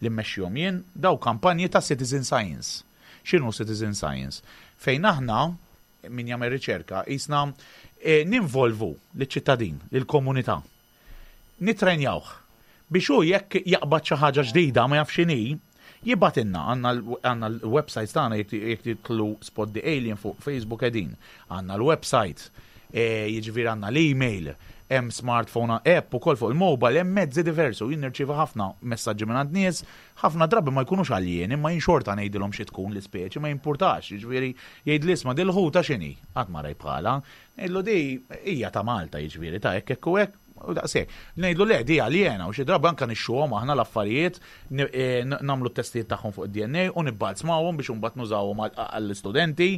li mmexxihom jien, daw kampanji ta' citizen science. X'inhu citizen science? Fejn aħna, min jagħmel riċerka, qisna eh, ninvolvu liċ-ċittadin, lill-komunità. Nitrenjawh biex hu jekk jaqbad xi ħaġa ġdida ma jafx x'inhi, jibgħatilna għandna l-websites tagħna jekk jidħlu Spot the Alien fuq Facebook qegħdin. Għandna l-website, eh, jiġifieri għandna l-email, hemm smartphone app ukoll fuq il-mobile, hemm mezzi diversi u jien nirċievi ħafna messaġġi minn għand nies Ħafna drabi ma jkunux aljeni imma jien xorta ngħidilhom xi tkun l-ispeċi ma jimpurtax, jiġifieri jgħidli isma' dil-ħuta x'inhi? Qatt ma rajt bħalha. Ngħidlu di hija ta' Malta jiġifieri ta' hekk hekk u hekk u daqshekk. Ngħidlu le di aljena u xi drabi anke nixxuhom aħna l-affarijiet eh, nagħmlu t-testijiet tagħhom fuq id-DNA u nibbalzmawhom biex imbagħad nużawhom għall-istudenti.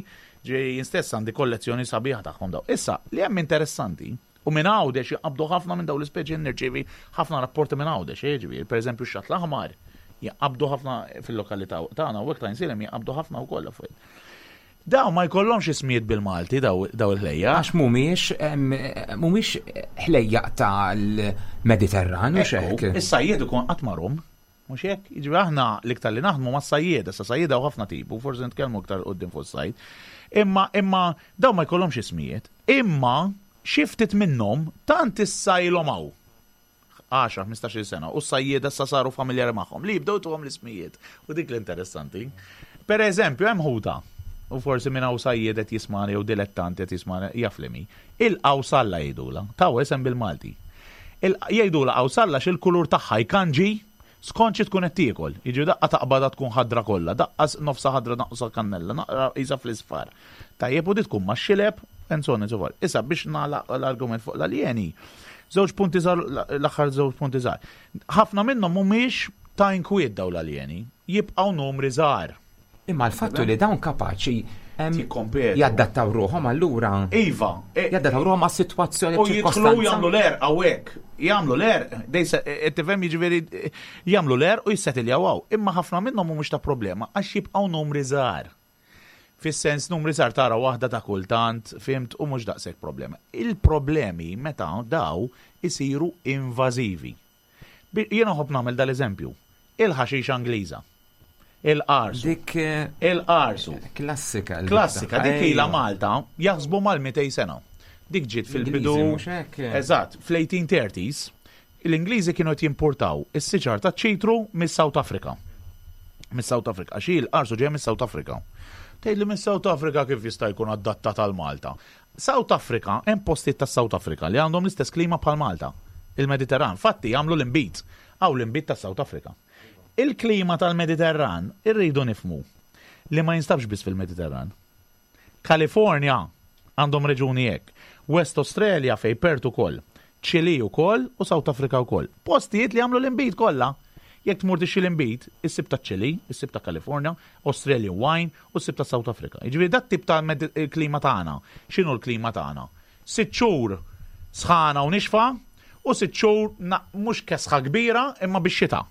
Ġifieri jien stess għandi kollezzjoni sabiħa tagħhom daw. Issa, li hemm interessanti U minn Għawdex jinqabdu ħafna minn dawn l-ispeċi nirċievi ħafna rapporti minn Għawdex, eh, ġifieri, pereżempju x-xatt l-aħmar jinqabdu ħafna fil-lokalità tagħna u hekk ta' Insilem jinqabdu ħafna wkoll affarijiet. Daw ma jkollhomx ismijiet bil-Malti daw il-ħlejja. Għax mhumiex mhumiex ħlejjaq tal-Mediterran u xek. Is-sajjied ikun qatt marhom. Mhux hekk? Jiġifieri aħna l-iktar li naħdmu mas-sajjieda, sa sajjieda u ħafna tipu, forsi nitkellmu iktar qudiem fuq is-sajd. Imma imma dawn ma jkollhomx ismijiet. Imma xi ftit minnhom tant issa ilhom hawn 10, 15-il sena u s-sajjieda issa saru familjari magħhom li jibdew tuhom l-ismijiet. U dik l-interessanti. Per eżempju, hemm ħuta u forsi minn hawn sajjied qed jismani jew dilettanti qed jismani jaf li mi. Il-qawsalla jgħidulha, taw isem bil-Malti. Jgħidulha qawsalla x'il-kulur tagħha jkanġi. Skont xi tkun qed tiekol. Jiġifieri daqqa taqbadha tkun ħadra kollha, daqqa nofsha ħadra naqsa kannella, naqra qisha fl-isfar. Tajjeb u di tkun max-xileb and so on and so forth. Issa biex nagħlaq l-argument fuq l-aljeni, żewġ punti żgħar l-aħħar żewġ punti żgħar. Ħafna minnhom mhumiex ta' inkwiet dawn l-aljeni, jibqgħu numri żgħar. Imma l-fattu li dawn kapaċi jaddattaw ruħhom allura. Iva. E, jaddattaw ruħhom għas-sitwazzjoni. U jidħlu jagħmlu l-erq hawnhekk. Jagħmlu l-erq, e, e, tifhem jiġifieri jagħmlu l-erq u jissetiljaw hawn. Imma ħafna minnhom mhumiex ta' problema għax jibqgħu numri żgħar. Fis-sens numri żgħar tara waħda ta' kultant, fimt, u mhux daqshekk problema. Il-problemi meta daw isiru invażivi. Jiena nħobb nagħmel dal-eżempju. Il-ħaxixa Ingliża. Il-qarsu. Dik eh, il-qarsu. Klassika. Klassika, dik ilha Malta jaħsbu mal-200 sena. Dik ġiet fil-bidu. Eżatt, fl-1830s l-Ingliżi kienu qed jimportaw is-siġar ta' ċitru mis-South Africa. Mis-South Africa, għax il-qarsu ġej mis-South Africa. Tgħidli mis-South Africa kif jista' jkun adattat għal Malta? South Africa, hemm postijiet tas South Africa li għandhom l-istess klima bħal Malta, il-Mediterran. Fatti jagħmlu l-inbid. Hawn l-inbid tas South Africa. Il-klima tal-Mediterran irridu nifhmu li ma jinstabx biss fil-Mediterran. California għandhom reġuni hekk. West Australia fejn Perth ukoll. Chile ukoll u South Africa ukoll. Postijiet li jagħmlu l-inbid kollha. Jekk tmur tixtri l-inbid, issib ta' Chile, issib ta' California, Australian wine u ssib ta' South Africa. Jiġifieri dat tip ta' klima tagħna. X'inhu l-klima tagħna? 6 xhur sħana u nixfa u 6 xhur mhux kesħa kbira imma bix-xita.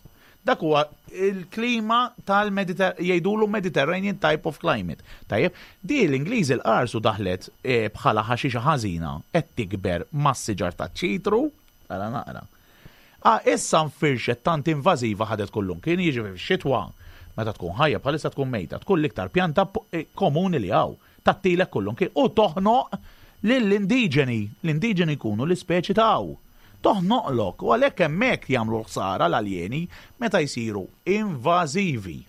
Dak huwa il-klima tal-Mediter jgħidulu Mediterranean type of climate. Tajjeb, di l-Ingliżi l-qarsu daħlet eh, bħala ħaxixa ħażina qed tikber mas-siġar taċ-ċitru, ara naqra. Ah, issa nfirxet tant invażiva ħadet kullum kien jiġi fix-xitwa meta tkun ħajja bħalissa tkun mejta, tkun l-iktar pjanta eh, komuni li hawn. Tagħtilek kullum kien u toħnoq lill-indiġeni, l-indiġeni jkunu l-ispeċi ta' hawn. Toħnoqlok u għalhekk hemmhekk jagħmlu l-ħsara l-aljeni meta jsiru invażivi.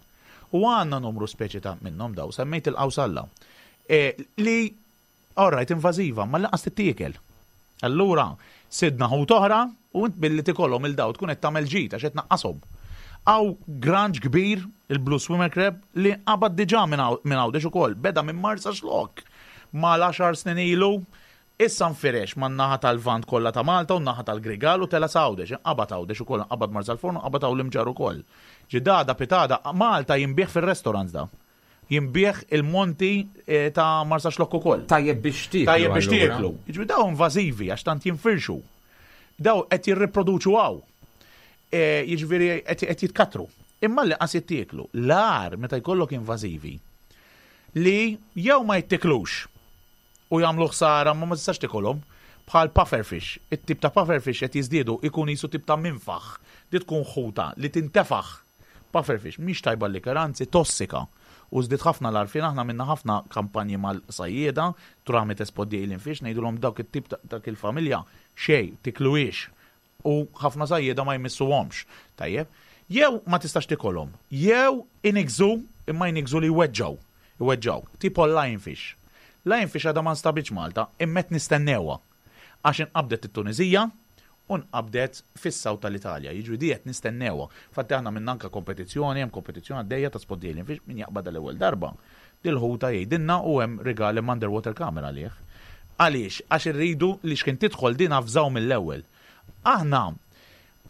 U għandna numru speċi ta' minnhom daw, semmejt il-qawsalla. E, li all right invażiva, ma lanqas tittiekel. Allura, sidna ħut oħra u int billi tikolhom il daw tkun qed tagħmel ġid għax qed tnaqqashom. Hawn granġ kbir, il-Blue Swimmer Crab, li nqabad diġà minn Għawdex ukoll, beda minn Marsaxlokk mal-għaxar snin ilu, issa nfirex man-naħa tal-Lvant kollha ta' Malta u n-naħa tal-Grigal u tela' sa Għawdex, inqabad Għawdex ukoll, inqabad Marsalforn u nqabad hawn l-Imġarr ukoll. Ġidada, pitada, Malta jinbiegħ fir-restaurants da. Jinbiegħ il-monti eh, ta' Marsaxlokk ukoll. Tajjeb biex tieklu. Tajjeb biex tieklu. Jiġifieri daw invażivi għax tant jinfirxu. Daw qed jirriproduċu hawn. Eh, jiġifieri qed jitkatru. Imma li qas jittieklu. L-agħar meta jkollok invażivi li jew ma jittiklux u jagħmlu ħsara ma ma tistax tikolhom bħal pufferfish. It-tip ta' pufferfish qed jiżdiedu ikun jisu tip ta' minfaħ. Di tkun ħuta li tintefaħ. Pufferfish mhix tajba l-ikel, anzi tossika. U żdied ħafna l-għarfien aħna għamilna ħafna kampanji mal-sajjieda tramite Spot the Alien Fish ngħidulhom dawk it-tip ta' dak il-familja xejn tikluhiex u ħafna sajjieda ma jmissuhomx. Tajjeb? Jew ma tistax tikolhom, jew iniggżu imma jniggżu li jweġġgħu. Iweġġgħuk. Tipo l-lionfish. Lionfish għadha ma nstabitx Malta, imma qed nistennewha. Għax inqabdet it-Tuniżija u nqabdet fis-South tal-Italja. Jiġifieri di qed nistennewha. Infatti aħna għamilna anke kompetizzjoni, hemm kompetizzjoni għaddejja ta' Spot the Alien Fish, min jaqbadha l-ewwel darba. Dil-ħuta jgħidilna u hemm rigal hemm underwater camera għalih. Għaliex? Għax irridu li x'kien tidħol din avżaw mill-ewwel. Aħna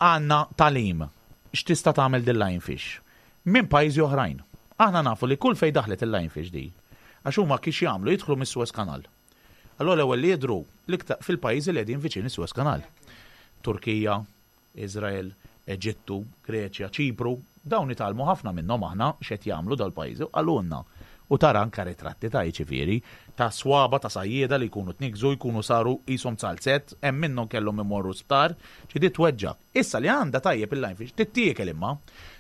għandna tagħlim x'tista' tagħmel dil-lionfish minn pajjiżi oħrajn. Aħna nafu li kull fejn daħlet il-lionfish di, għax huma kif jagħmlu jidħlu mis-Suez Canal. Allura l-ewwel li jidhru l-iktar fil-pajjiżi li qegħdin viċin is-Suez Canal. Turkija, Iżrael, Eġittu, Greċja, Ċipru, dawn nitgħallmu ħafna minnhom aħna x'qed jagħmlu dal-pajjiżi u qalulna. U tara anke ritratti ta' jiġifieri, ta' swaba ta' sajjieda li jkunu tniggżu, jkunu saru qishom zalzett, hemm minnhom kellhom imorru sptar, ġifieri di tweġġgħek. Issa li għandha tajjeb il-lionfish, tittiekel imma.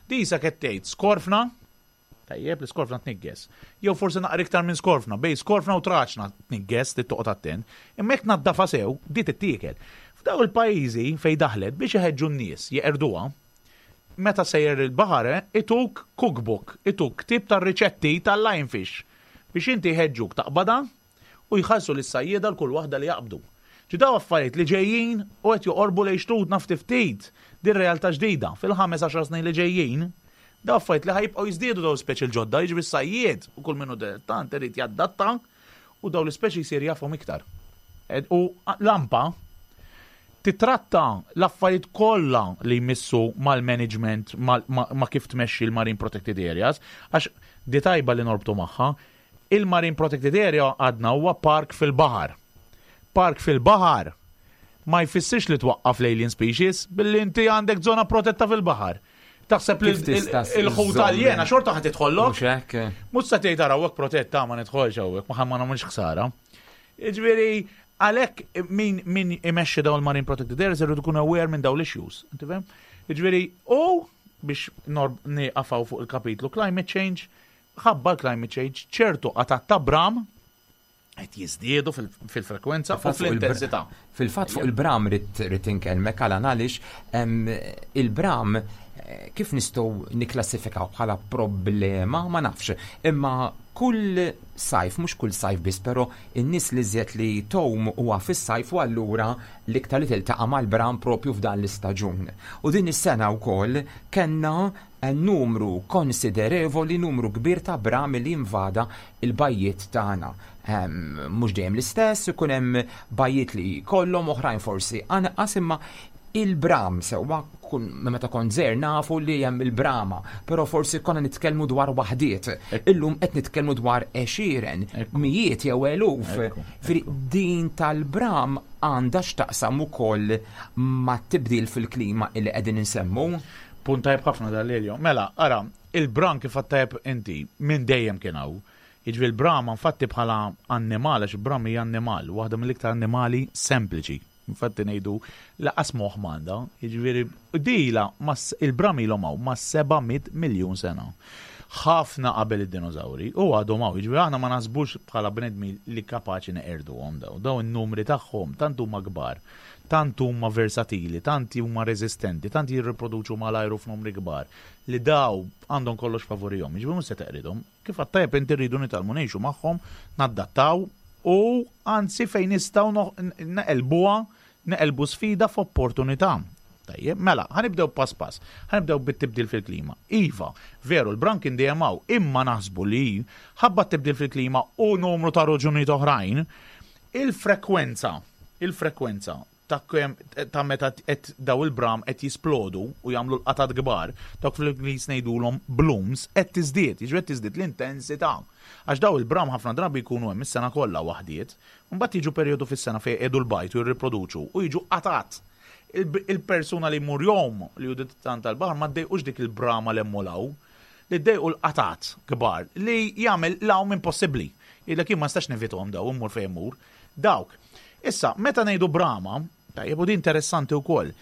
Di qisha qed tgħid skorfna, Tajjeb, l-iskorfna tniggeż. Jew forsi naqra iktar minn skorfna, bejn skorfna u traċna tniggeż, trid toqgħod attent. Imma jekk tnaddafha sew, di tittiekel. F'dawn il-pajjiżi fejn daħlet biex iħeġġu n-nies jeqirduha, meta sejjer il-baħar ituk cookbook, ituk ktieb tar-riċetti tal-lionfish biex inti jħeġġuk taqbadha u jħallsu lis-sajjieda l kull waħda li jaqbdu. Ġi daw affarijiet li ġejjin u qed joqorbu lejn xtutna ftit ftit. Din realtà ġdida fil-ħames għaxar snin li ġejjin. Daw affarijiet li ħa jibqgħu jiżdiedu daw speċi l-ġodda, jiġifieri s-sajjied u kull min hu dilettant irid jadatta u daw l-ispeċi jsir jafhom iktar. U l-AMPA titratta l-affarijiet kollha li jmissu mal-management, ma' kif tmexxi l-Marine Protected Areas, għax di tajba li norbtu magħha, il-Marine Protected Area għadna huwa park fil-baħar. Park fil-baħar ma jfissirx li twaqqaf l-alien species billi inti għandek zona protetta fil-baħar. Taħseb li Kif tista' il-ħut żżomm- aljena xorta ħa tidħollok? Mhux hekk? Mhux se tgħid ara hawnhekk protetta ma nidħolx hawnhekk, ma ma nagħmilx ħsara. Jiġifieri għalhekk min imexxi dawn il-Marine Protected Areas irridu jkunu aware minn dawn l-issues. Inti fhem? Jiġifieri u biex nieqafaw fuq il-kapitlu climate change, ħabba l-climate change ċertu qatat ta' bram qed jiżdiedu fil-frekwenza u fl-intensità. Fil-fatt fuq il-bram rrid inkellmek għal għaliex il-bram kif nistgħu nikklassifikaw bħala problema ma nafx, imma kull sajf, mhux kull sajf biss, però in-nies li żjed li tgħum huwa fis-sajf u allura l-iktar li tiltaqa' mal-bram propju f'dan l-istaġun. U din is-sena wkoll kellna numru konsiderevoli, numru kbir ta' bram li invada il-bajjiet tagħna. Mhux dejjem l-istess, ikun hemm bajjiet li kollhom oħrajn forsi anqas, imma il-bram sewwa meta kont żgħir nafu li hemm il-brama, però forsi konna nitkellmu dwar waħdiet. Illum qed nitkellmu dwar għexieren, mijiet jew eluf. Fri din tal-bram għandha x'taqsam ukoll mat-tibdil fil-klima illi qegħdin insemmu. Punt tajjeb ħafna dal-Elio. Mela, ara, il-bram kif tajjeb inti minn dejjem kien hawn. Jiġifieri l-brama infatti bħala annimal, għax il-bram hija annimal, waħda mill-iktar annimali sempliċi. Infatti ngħidu laqas moħħ m'għandha, jiġifieri dila il-bram ilhom hawn ma' 700 miljun sena. Ħafna qabel id-dinożawri u għadhom hawn, jiġifieri aħna ma naħsbux bħala bnedmi li kapaċi neqirduhom daw. Daw in-numri tagħhom tant huma kbar, tant huma versatili, tant huma reżistenti, tant jirriproduċu mal-ajru f'numri kbar li daw għandhom kollox favorihom, jiġifieri mhux se teqridhom. Kif għat-tajjeb inti rridu nitgħallmu ngħixu magħhom, naddattaw u anzi fejn nistgħu neqelbuha, neqelbu sfida f'opportunità. Tajjeb, mela, ħanibdew pass pass, ħanibdew bit-tibdil fil-klima. Iva, veru, l-bram kien dejjem hawn, imma naħsbu li ħabba t-tibdil fil-klima u numru ta' raġunijiet oħrajn, il-frekwenza ta' kemm ta' meta qed daw il-bram qed jisplodu u jagħmlu l-qatat kbar, dawk fl-Ingliż ngħidulhom blooms, qed tiżdied, jiġifieri qed tiżdied l-intensità. Għax daw il-bram ħafna drabi jkunu hemm is-sena kollha waħdiet, mbagħad jiġu perjodu fis-sena fejn jqiegħdu l-bajd u jirriproduċu u jiġu qatat. Il-persuna li jmur jgħum li hu dilettant tal-baħar ma ddejqux dik il-brama li hemm u 'l hawn, li ddejqu l-qatat kbar li jagħmel l-għawm impossibbli. Jgħidlek jien ma nistax nevithom daw, immur fejn immur. Dawk. Issa, meta ngħidu brama, tajjeb u di interessanti wkoll,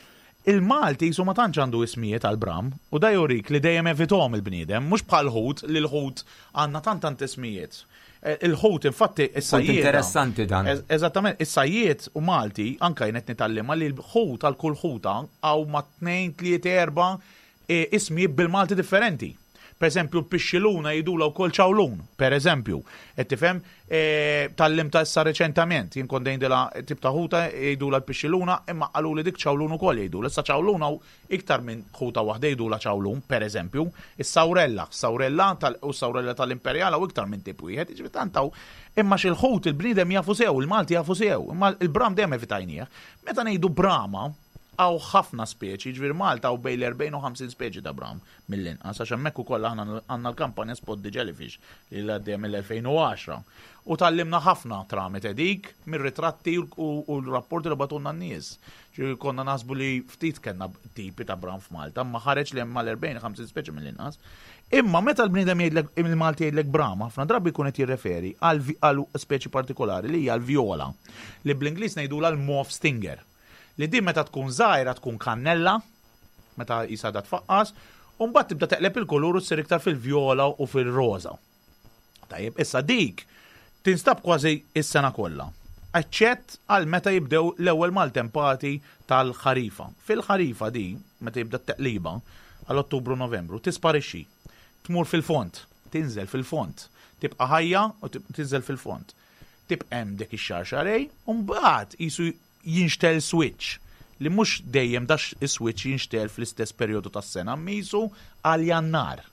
il-Malti jisu ma tantx għandu ismijiet għal bram, u da jurik li dejjem evithom il-bniedem, mhux bħal ħut li l-ħut għandna tant tant ismijiet. Il-ħut infatti is-sajjied. Interessanti dan. Eżattament, is-sajjied u Malti anka jien qed nitgħallimha li l-ħut għal kull ħuta hawn ma' 2, 3, 4 ismijiet bil-Malti differenti. Per eżempju, l-pixxiluna jgħidulha wkoll ċawlun, per eżempju. Qed tifhem? Tgħallimtha issa reċentament, jien kont ngħidilha tip ta' ħuta jgħidulha l-pixxiluna, imma qaluli dik ċawlun ukoll jgħidulha. Issa ċawlun hawn iktar minn ħuta waħda jgħidulha ċawlun, per eżempju. Is-sawrella, sawrella u sawrella tal-imperjal hawn iktar minn tip wieħed, jiġifieri tant hawn. Imma x'il-ħut il-bniedem jafu sew, il-Malti jafu sew, imma l-bram dejjem evitajnieh. Meta ngħidu brama, hawn ħafna speċi, jiġifieri Malta hawn bejn l-40 u 50 speċi ta' bram mill-inqas, għax hemmhekk ukoll aħna għandna l-kampanja Spot the Jellyfish li għaddejja mill-2010. U tgħallimna ħafna tramite dik mir-ritratti u l-rapporti li bagħtulna n-nies. Ġifieri konna naħsbu li ftit kellna tipi ta' bram f'Malta, imma ħareġ li hemm mal-40 50 speċi mill-inqas. Imma meta l-bniedem jgħidlek, il-Malti jgħidlek bram, ħafna drabi jkun qed jirreferi għal speċi partikolari li hija l-vjola, li bl-Ingliż ngħidulha l-mauve stinger. Li din meta tkun żgħira tkun kannella, meta jisa da tfaqqas, u mbagħad tibda teqleb il-kulur u ssir iktar fil-vjola u fil-roża. Tajjeb, issa dik tinstab kważi is-sena kollha, eċċett għal meta jibdew l-ewwel maltempati tal-ħarifa. Fil-ħarifa di, meta jibda t-teqliba, għal Ottubru Novembru, tisparixxi. Tmur fil-fond, tinżel fil-fond, tibqa' ħajja u tinżel fil-fond. Tibqa' hemm dik ix-xahar xahrejn, u mbagħad qisu jinxtel switch li mhux dejjem dax is-switch jinxtel fl-istess perjodu tas-sena misu għal Jannar.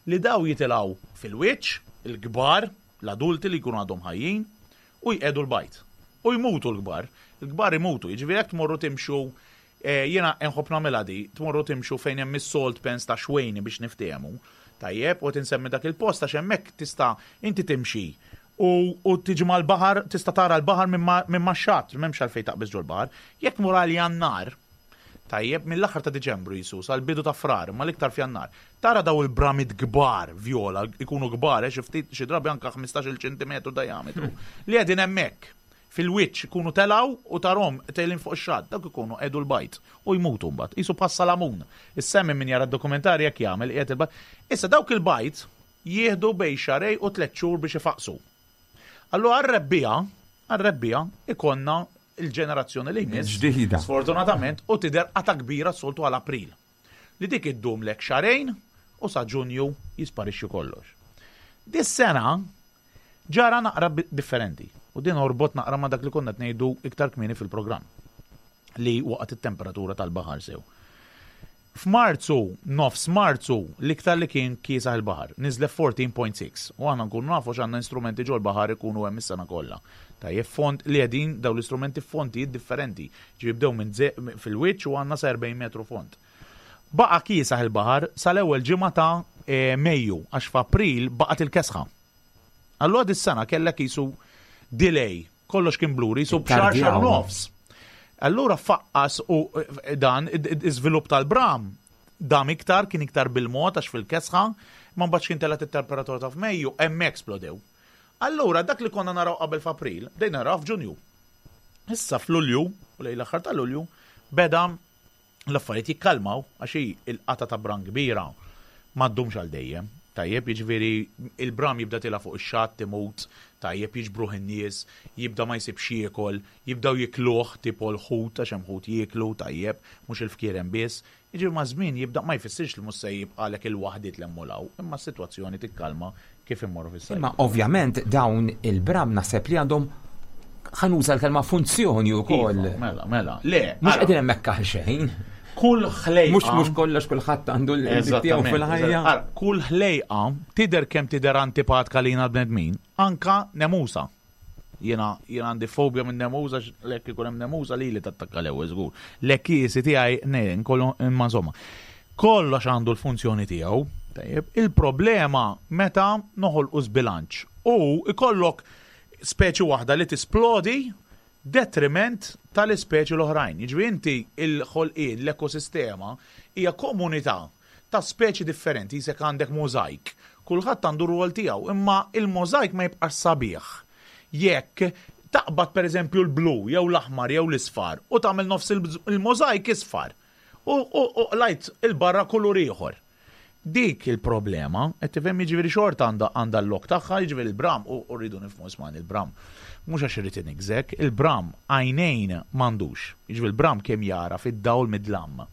Li daw jitilgħu fil-wiċċ, il-kbar, l-adulti li jkunu għadhom ħajjin, u jqiegħdu l-bajd. U jmutu l-kbar. Il-kbar imutu, jiġifieri jekk tmorru timxu jiena nħobb nagħmilha di, tmorru timxu fejn hemm is-salt pans ta' Xwejni biex niftehmu. Tajjeb, u qed insemmi dak il-post għax hemmhekk tista' inti timxi u, u tiġi mal-baħar, tista' tara l-baħar minn max-xatt, m'hemmx għalfejn taqbeż ġol-baħar. Jekk tmur għal Jannar, tajjeb, mill-aħħar ta' Diċembru jisu sal-bidu ta' Frar, imma l-iktar f'Jannar, tara daw il-bramit kbar vjola, ikunu kbar, xi ftit xi drabi anke 15-il ċentimetru diametru, li qegħdin hemmhekk fil-wiċċ ikunu telgħu u tarhom telgħin fuq ix-xatt, dawk ikunu qiegħdu l-bajd u jmutu mbagħad. Qisu bħas-salamun. Is-salmon min jara d-dokumentarji hekk jagħmel, qiegħed il-bajd. Issa dawk il-bajd jieħdu bejn xahrejn u tlett xhur biex ifaqqsu. Allura għar-rebbiegħa, għar-rebbiegħa ikollna l-ġenerazzjoni li jmiss. Ġdida. Sfortunatament u tidher qatgħa kbira s-soltu għal April. Li dik iddumlek xahrejn u sa Ġunju jisparixxi kollox. Dis-sena Ġara naqra differenti, u din orbot naqra ma' dak li konna qed ngħidu iktar kmieni fil-programm, li waqgħet it-temperatura tal-baħar sew. F'Marzu, nofs Marzu, l-iktar li kien kiesaħ il-baħar, niżlet 14.6, u aħna nkunu nafu għax għandna instrumenti ġol-baħar ikunu hemm is-sena kollha. Tajjeb, font li qegħdin dawn l-istrumenti f'fontijiet differenti, ġifieri bdew minn fil-wiċċ u għandna sa 40 metru font. Baqa' kiesaħ il-baħar sal-ewwel ġimgħa ta' Mejju, għax f'April baqgħet il-kesħa. Allura dis-sena kellek qisu delay, kollox kien bluri, qisu b'xahar xahar nofs. Allura faqqas u eh, dan iżvilupp tal-bram dam iktar, kien iktar bil-mod għax fil-kesħa, ma mbagħad kien telgħet it-temperatura ta' f'Mejju, hemmhekk splodew. Allura dak li konna naraw qabel f'April, bdejna naraw f'Ġunju. Issa f'Lulju, u lejn l-aħħar ta' Lulju, beda l-affarijiet jikkalmaw għax hi l-qatgħa ta' bram kbira ma ddumx għal dejjem. Tajjeb, jiġifieri il-bram jibda tiela' fuq ix-xatt imut, tajjeb jiġbruh in-nies, jibda ma jsibx x'jiekol, jibdew jikluh tipo l-ħut għax hemm ħut jieklu, tajjeb, mhux il-fkieren biss. Jiġifieri maż-żmien jibda ma jfissirx li mhux se jibqagħlek il-waħdiet 'l hemm u 'l hawn, imma s-sitwazzjoni tikkalma kif immorru fis-sajf. Imma ovvjament dawn il-bram naħseb li għandhom ħa nuża l-kelma funzjoni wkoll. Iva, mela, mela. Le. Mhux qegħdin hemmhekk għal xejn. Kull ħlejqa. Mhux mhux kollox kulħadd għandu l-tiegħu fil-ħajja. Kull ħlejqa tidher kemm tidher antipatka lina l-bnedmin, anka nemusa. Jiena jiena għandi fobja minn nemusa lek ikun hemm nemusa lili tattakka l-ewwel żgur. L-ekkiesi tiegħi ne nkollu imma insomma. Kollox għandu l-funzjoni tiegħu, tajjeb. Il-problema meta noħolqu żbilanċ u ikollok speċi waħda li tisplodi detriment tal-ispeċi l-oħrajn. Jiġifieri inti l-ħolqien, l-ekosistema hija komunità ta' speċi differenti, qisek għandek możajk. Kulħadd għandu r-rwol tiegħu, imma il-możajk ma jibqax sabiħ jekk taqbad pereżempju l-blu jew l-aħmar jew l-isfar u tagħmel nofs il-możajk isfar u qlajt 'il barra kulur ieħor. Dik il-problema, qed tifhem jiġifieri xorta għandha għandha l-lok tagħha, jiġifieri l-bram u rridu nifhmu ismagħni l-bram mhux għax irid iniggżek, il-bram għajnejn m'għandux. Jiġifieri l-bram kemm jara fid-dawl mid-dlam.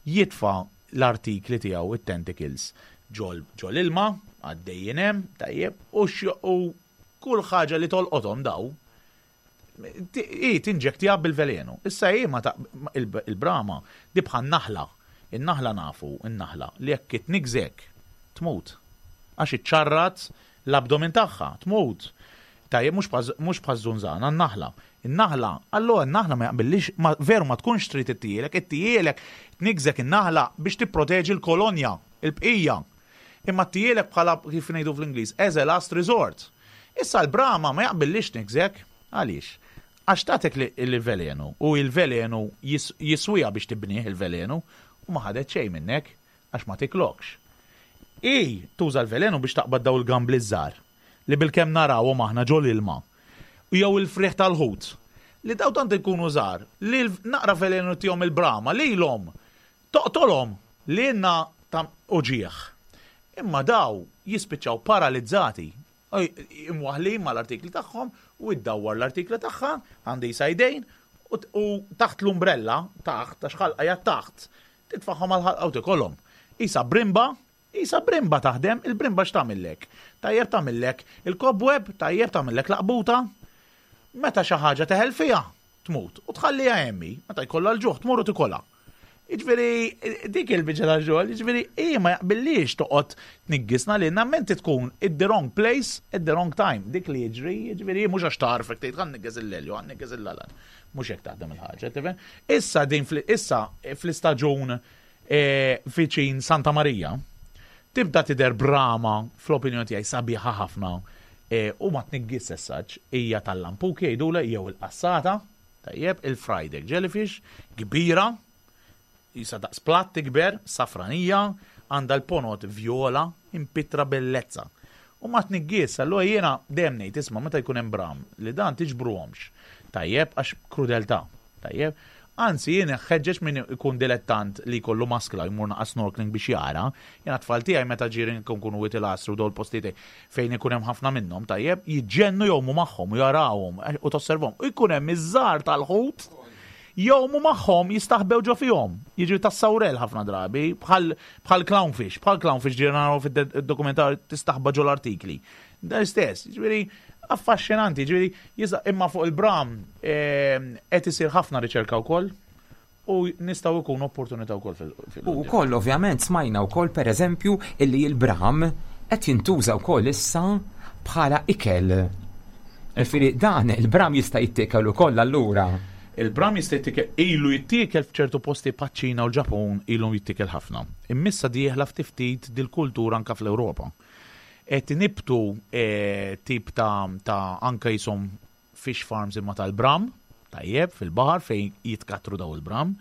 Jitfa' l-artikli tiegħu, it-tentacles, ġol ġol-ilma, għaddejjin hemm, tajjeb, u u kull ħaġa li tolqothom daw, hi tinġektija bil-velenu. Issa hi ma ta' il-brama di bħal naħla. In-naħla nafu, in-naħla, li jekk itniggżek, tmut. Għax iċċarrat l-abdomen tagħha, tmut. Tajjeb, mhux bħaż-żunżana, n-naħla. In-naħla, allura n-naħla ma jaqbillix, ma, veru ma tkunx trid ittijielek, ittijielek, tniggżek in-naħla biex tipproteġi l-kolonja, il-bqija. Imma ttijielek bħala, kif ngħidu fl-Ingliż, as a last resort. Issa l-brama ma jaqbillix tniggżek. Għaliex? Għax tagħtek il-velenu u il-velenu jiswiha biex tibnih il-velenu u ma ħadet xejn minnek għax ma tiklokx. Hi tuża l-velenu biex taqbad dawn il-gambli ż-żgħar. li bilkemm narawhom aħna ġol-ilma, jew il-frieħ tal-ħut, li dawn tant ikunu żgħar li naqra velenu tihom il-brama lilhom toqtolhom lilna ta' uġigħ. Imma daw jispiċċaw paralizzati, imwaħħlin mal-artikli tagħhom u iddawwar l-artikli tagħha għandi isa jdejn u taħt l-umbrella, taħt, għax ħalqa hija taħt, titfagħhom għall-ħalqa u tikolhom. Isa brimba Qisha brimba taħdem, il-brimba x'tagħmillek? Tajjeb tagħmillek il-cobweb, tajjeb tagħmillek laqbuta. Meta xi ħaġa teħel fiha, Tmut. U tħalliha hemm hi, meta jkollha l-ġuħ tmur u tikolha. Jiġifieri dik il-biċċa ta' xogħol, jiġifieri hi ma jaqbillix toqgħod tniggisna lilna menti tkun at the wrong place at the wrong time. Dik li jiġri, jiġifieri mhux għax tagħrfek tgħid ħa nniggez il-Lelju, ħa nniggez il-Alan. Mhux hekk taħdem il-ħaġa, tifhem? Issa din issa fl-istaġun eh, viċin Santa Marija, tibda tidher brama fl-opinjoni tiegħi sabiħa ħafna eh, u ma tniggis essaġ hija tal-lampuki jgħidulha jew il-qassata. Tajjeb, il-fried egg jellyfish, kbira, jisa daqs platt tikber, safranija, għandha l-ponot vjola, impittra bellezza. U ma tniggies, allura jiena dejjem ngħid isma' meta jkun hemm bram li dan tiġbruhomx. Tajjeb, għax krudeltà. Tajjeb. Anzi, jien ħeġġeġ min ikun dilettant li jkollu maskla jmur naqa' snorkeling biex jara. Jiena tfal tiegħi meta ġieri nkunu Wied il-Għasri u dawn il-postijiet fejn ikun hemm ħafna minnhom, tajjeb, jiġġennu jgħumu magħhom u jarawhom eh, u tosservhom. U jkun hemm iż-żgħar tal-ħut jgħumu magħhom jistaħbew ġo fihom. Jiġri tas-sawrel ħafna drabi, bħal bħal clownfish, bħal clownfish ġieri naraw fid-dokumentar tistaħba ġo l-artikli. Dan istess, jiġifieri affaxxinanti, jiġifieri imma fuq il-bram eh, qed isir ħafna riċerka wkoll u nistgħu jkunu opportunità wkoll fil U wkoll ovvjament smajna wkoll pereżempju illi l-bram qed jintuża wkoll issa bħala ikel. Ġifieri dan il-bram jista' jittiekel ukoll allura. Il-bram jista' jittiekel ilu jittiekel f'ċertu posti paċ-Ċina u l-Ġapun ilu jittiekel ħafna. Imma issa dieħla ftit ftit dil-kultura anke fl-Ewropa. Qed inibtu eh, tip ta' ta' anke jisom fish farms imma tal-bram, tajjeb, fil-baħar fejn jitkattru daw il-bram,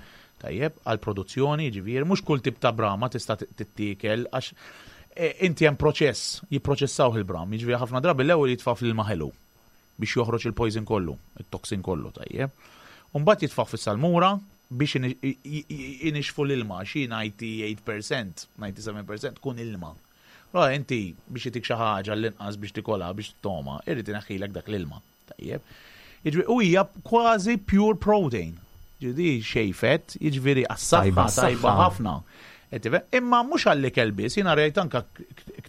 tajjeb, għal produzzjoni, ġifieri, mhux kull tip ta' brama tista' tittiekel għax e, inti hemm proċess, jipproċessaw il-bram, jiġifieri ħafna drabi l-ewwel jitfa' fl-ilma ħelu biex joħroġ il-poison kollu, it-toxin kollu, tajjeb. Umbagħad jitfa' fis-salmura biex inixfu l-ilma, xi 98%, 97% tkun ilma. Allora inti biex itik xi ħaġa l-inqas biex tikolha biex toma, irrid ineħħilek dak l-ilma. Tajjeb. Jiġifieri u hija kważi pure protein. Ġifieri xejn fett, jiġifieri għas-saħħa tajba ħafna. Imma mhux għall-ikel biss, jiena rajt anka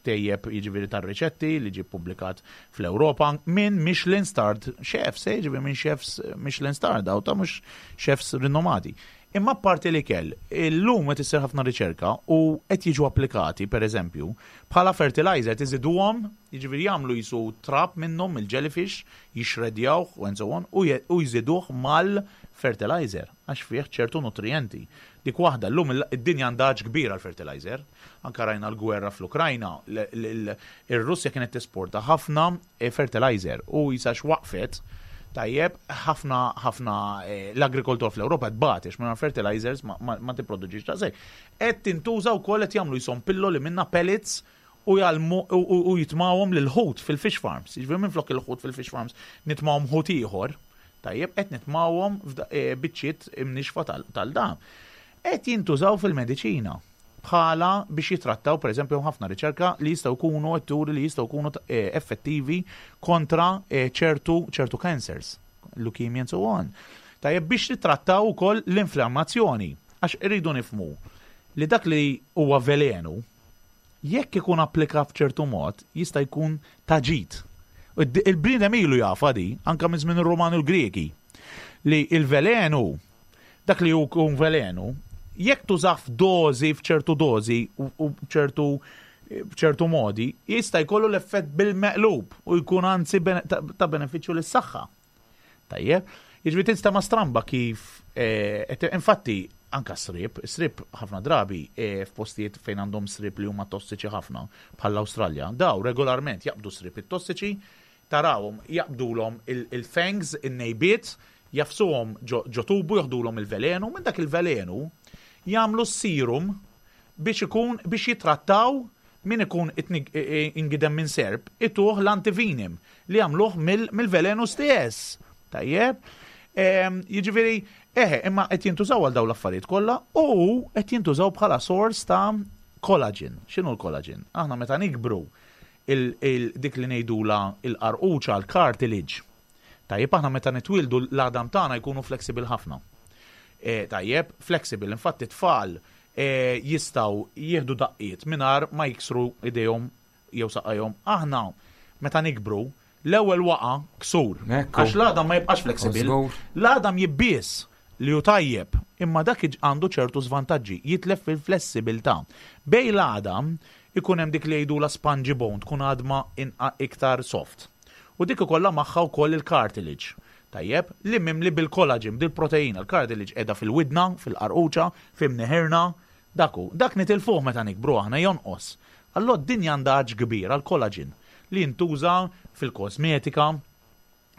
ktejjeb jiġifieri tar-riċetti li ġie ppubblikat fl-Ewropa minn Michelin starred chefs, eh, jiġifieri minn chefs Michelin starred daw ta' mhux chefs rinomati. Imma apparti l-ikel, illum qed issir ħafna riċerka u qed jiġu applikati, per eżempju, bħala fertilizer tiżiduhom, jiġifieri jagħmlu jisu trab minnhom il-jellyfish, jixredjawh u and so on, u jżiduh mal-fertilizer għax fih ċertu nutrijenti. Dik waħda, llum id-dinja għandha għatx kbir għall-fertilizer. Anke rajna l-gwerra fl-Ukrajna, ir-Russja kienet tesporta ħafna fertilizer u jisa x'waqfet tajjeb ħafna ħafna eh, l-agrikoltura fl-Ewropa tbati għax mingħajr fertilizers ma, ma, ma tipproduċix ta' sej. Qed tintuża wkoll qed jagħmlu jisom pilloli minna pellets u jgħallmu u jitmawhom lil ħut fil-fish farms. Jiġifieri minflok il-ħut fil-fish farms nitmawhom ħut ieħor, tajjeb qed nitmawhom eh, biċċiet imnixfa tal-dam. Qed jintużaw fil-mediċina. bħala biex jitrattaw, pereżempju, hemm ħafna riċerka li jistgħu jkunu qed turi li jistgħu jkunu eh, effettivi kontra eh, ċertu ċertu cancers, leukemia and so on. Tajjeb biex titrattaw ukoll l-inflammazzjoni, għax irridu nifmu li dak li huwa velenu jekk ikun applikat f'ċertu mod jista' jkun ta' ġid. Il-bniedem ilu jafha di, anka minn żmien ir-Rumani u l-Griegi, li il-velenu Dak li jkun velenu, jekk tużah f'dożi, f'ċertu dożi u b'ċertu b'ċertu modi, jista' jkollu l-effett bil-meqlub u jkun anzi ta' benefiċċju lis-saħħa. Tajjeb, jiġifieri tinstema' stramba kif eh, infatti anka srib, srib ħafna drabi eh, f'postijiet fejn għandhom srib li huma tossiċi ħafna bħall-Awstralja, daw regolarment jaqbdu srib it-tossiċi Tarawhom jaqbdulhom il-fangs, in-nejbiet, jagħfsuhom ġo tubu, joħdulhom il-velenu, minn dak il-velenu jagħmlu s-serum biex ikun biex jittrattaw min ikun ingidem minn serp, ituh l-antivenom li jagħmluh mill-velenu stess. Tajjeb? Jiġifieri, eħe, imma qed jintużaw għal dawn l-affarijiet kollha u qed jintużaw bħala sors ta' collagen. X'inhu l-collagen? Aħna meta nikbru dik li ngħidulha l-qarquċa, l-cartilage. Tajjeb, aħna meta nitwieldu l-għadam tagħna jkunu flexible ħafna. E, tajjeb, flexible, infatti tfal e, jistgħu jieħdu daqqiet mingħajr ma jiksru idejhom jew saqajhom. Aħna meta nikbru, L-ewwel waqa' ksur. Għax l-għadam ma jibqax flexible. L-għadam jibbies li hu tajjeb, imma dak għandu ċertu żvantaġġi, jitlef fil-flessibilità. Bejn l-għadam ikun hemm dik li jgħidulha spongy bone, tkun għadma iktar soft. U dik ikollha magħha wkoll il-cartilage. Tajjeb, li mimli bil-collagen, bil-proteina. Il-cartilage qiegħda fil-widna, fil-qarquċa, f'imneħirna, dak hu. Dak nitilfuh meta nikbru aħna jonqos. Allura d-dinja għandha għatx kbir għall-collagen li jintuża fil-kosmetika,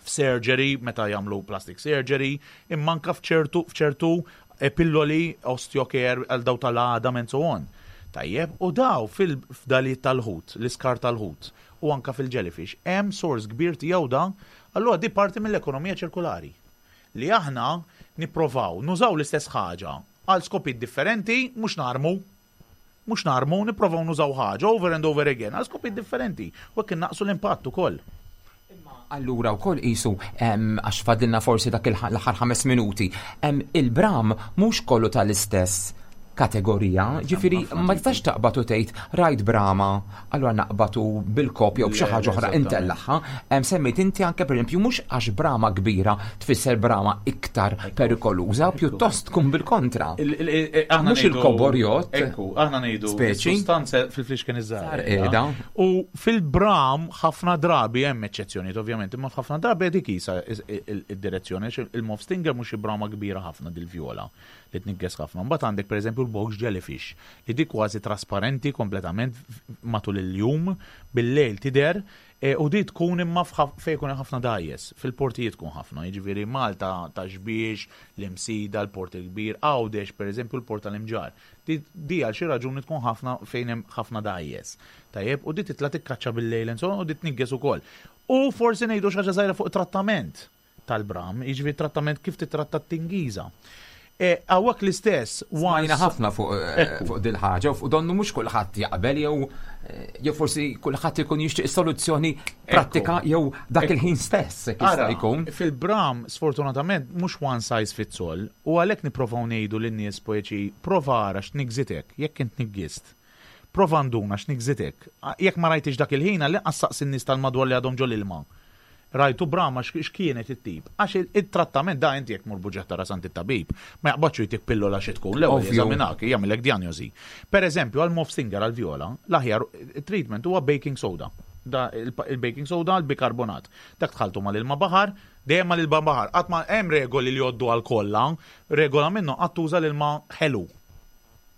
f'surgery meta jagħmlu plastic surgery, imma anke f'ċertu f'ċertu eh, pilloli osteocare għal daw tal-għadam and so on. Tajjeb, u daw fil-fdalijiet tal-ħut, l-iskar tal-ħut, u anka fil-jellyfish, hemm sors kbir tiegħu da, allura di parti mill-ekonomija ċirkulari. Li aħna nipprovaw nużaw l-istess ħaġa għal skopijiet differenti, mhux narmu. Mhux narmu, nipprovaw nużaw ħaġa over and over again għal skopijiet differenti u hekk innaqsu l-impatt ukoll. Imma allura wkoll qisu għax fadilna forsi dak l-aħħar 5 minuti, il-bram mhux kollu tal-istess kategorija, ġifieri ma tistax taqbad u tgħid rajt brama, allura naqbad u bil-kopja u b'xi ħaġa oħra intellagħha. Semmejt inti anke pereżempju mhux għax brama kbira tfisser brama iktar perikoluża, pjuttost tkun bil-kontra. Mhux il-kobor jgħodd. Ekku, aħna ngħidu speċi. Sustanza fil-flixken iż-żgħar. Qiegħda. U fil-bram ħafna drabi hemm eċċezzjonijiet ovvjament, imma f'ħafna drabi dik isa id-direzzjoni il-mauve stinger mhux xi brama kbira ħafna dil-vjola li tnigges ħafna. Mbagħad għandek pereżempju l-box jellyfish li dik kważi trasparenti kompletament matul il-jum, bil-lejl tidher E, u di tkun imma fejn ikun hemm ħafna dgħajjes, fil-portijiet tkun ħafna, jiġifieri Malta ta' Xbiex, l-Imsida, l-Port il-Kbir, Għawdex pereżempju l-Port tal-Imġarr. Di, di għal xi raġuni tkun ħafna fejn hemm ħafna dgħajjes. Tajjeb, u di titla' tikkaċċa bil-lejl and so on, u di tnigges ukoll. U forsi ngħidu xi ħaġa żgħira fuq it-trattament tal-bram, jiġifieri trattament kif titratta t-tingiża. E, hawnhekk l-istess. Smajna ħafna fuq eh, fuq dil-ħaġa u fuq donnu mhux kulħadd jaqbel jew eh, jew forsi kulħadd ikun jixtieq soluzzjoni prattika jew dak il-ħin stess jekk jista' jkun. Fil-bram, sfortunatament, mhux one size fits all, u għalhekk nipprovaw ngħidu lin-nies poeċi prova ara x'tniggżitek, jekk int niggist. Prova nduna x'niggżitek. Jekk ma rajtix dak il-ħin, għall-inqas saqsi n-nies tal-madwar li għadhom ġol-ilma. Rajtu brama x'kienet it-tip. Għax it-trattament da inti jekk tmur buġeħ tara sant it-tabib, ma jaqbadx u jtik pillola xi tkun, l-ewwel jeżaminak, jagħmillek dijanjosi. Per eżempju, għal mauve stinger għall-vjola, l-aħjar treatment huwa baking soda. Da il-baking soda, l-bikarbonat. Dak tħalltu mal-ilma baħar, dejjem mal-ilma baħar. Qatt ma hemm regoli li jgħoddu għal kollha, regola minnhom qatt tuża l-ilma ħelu.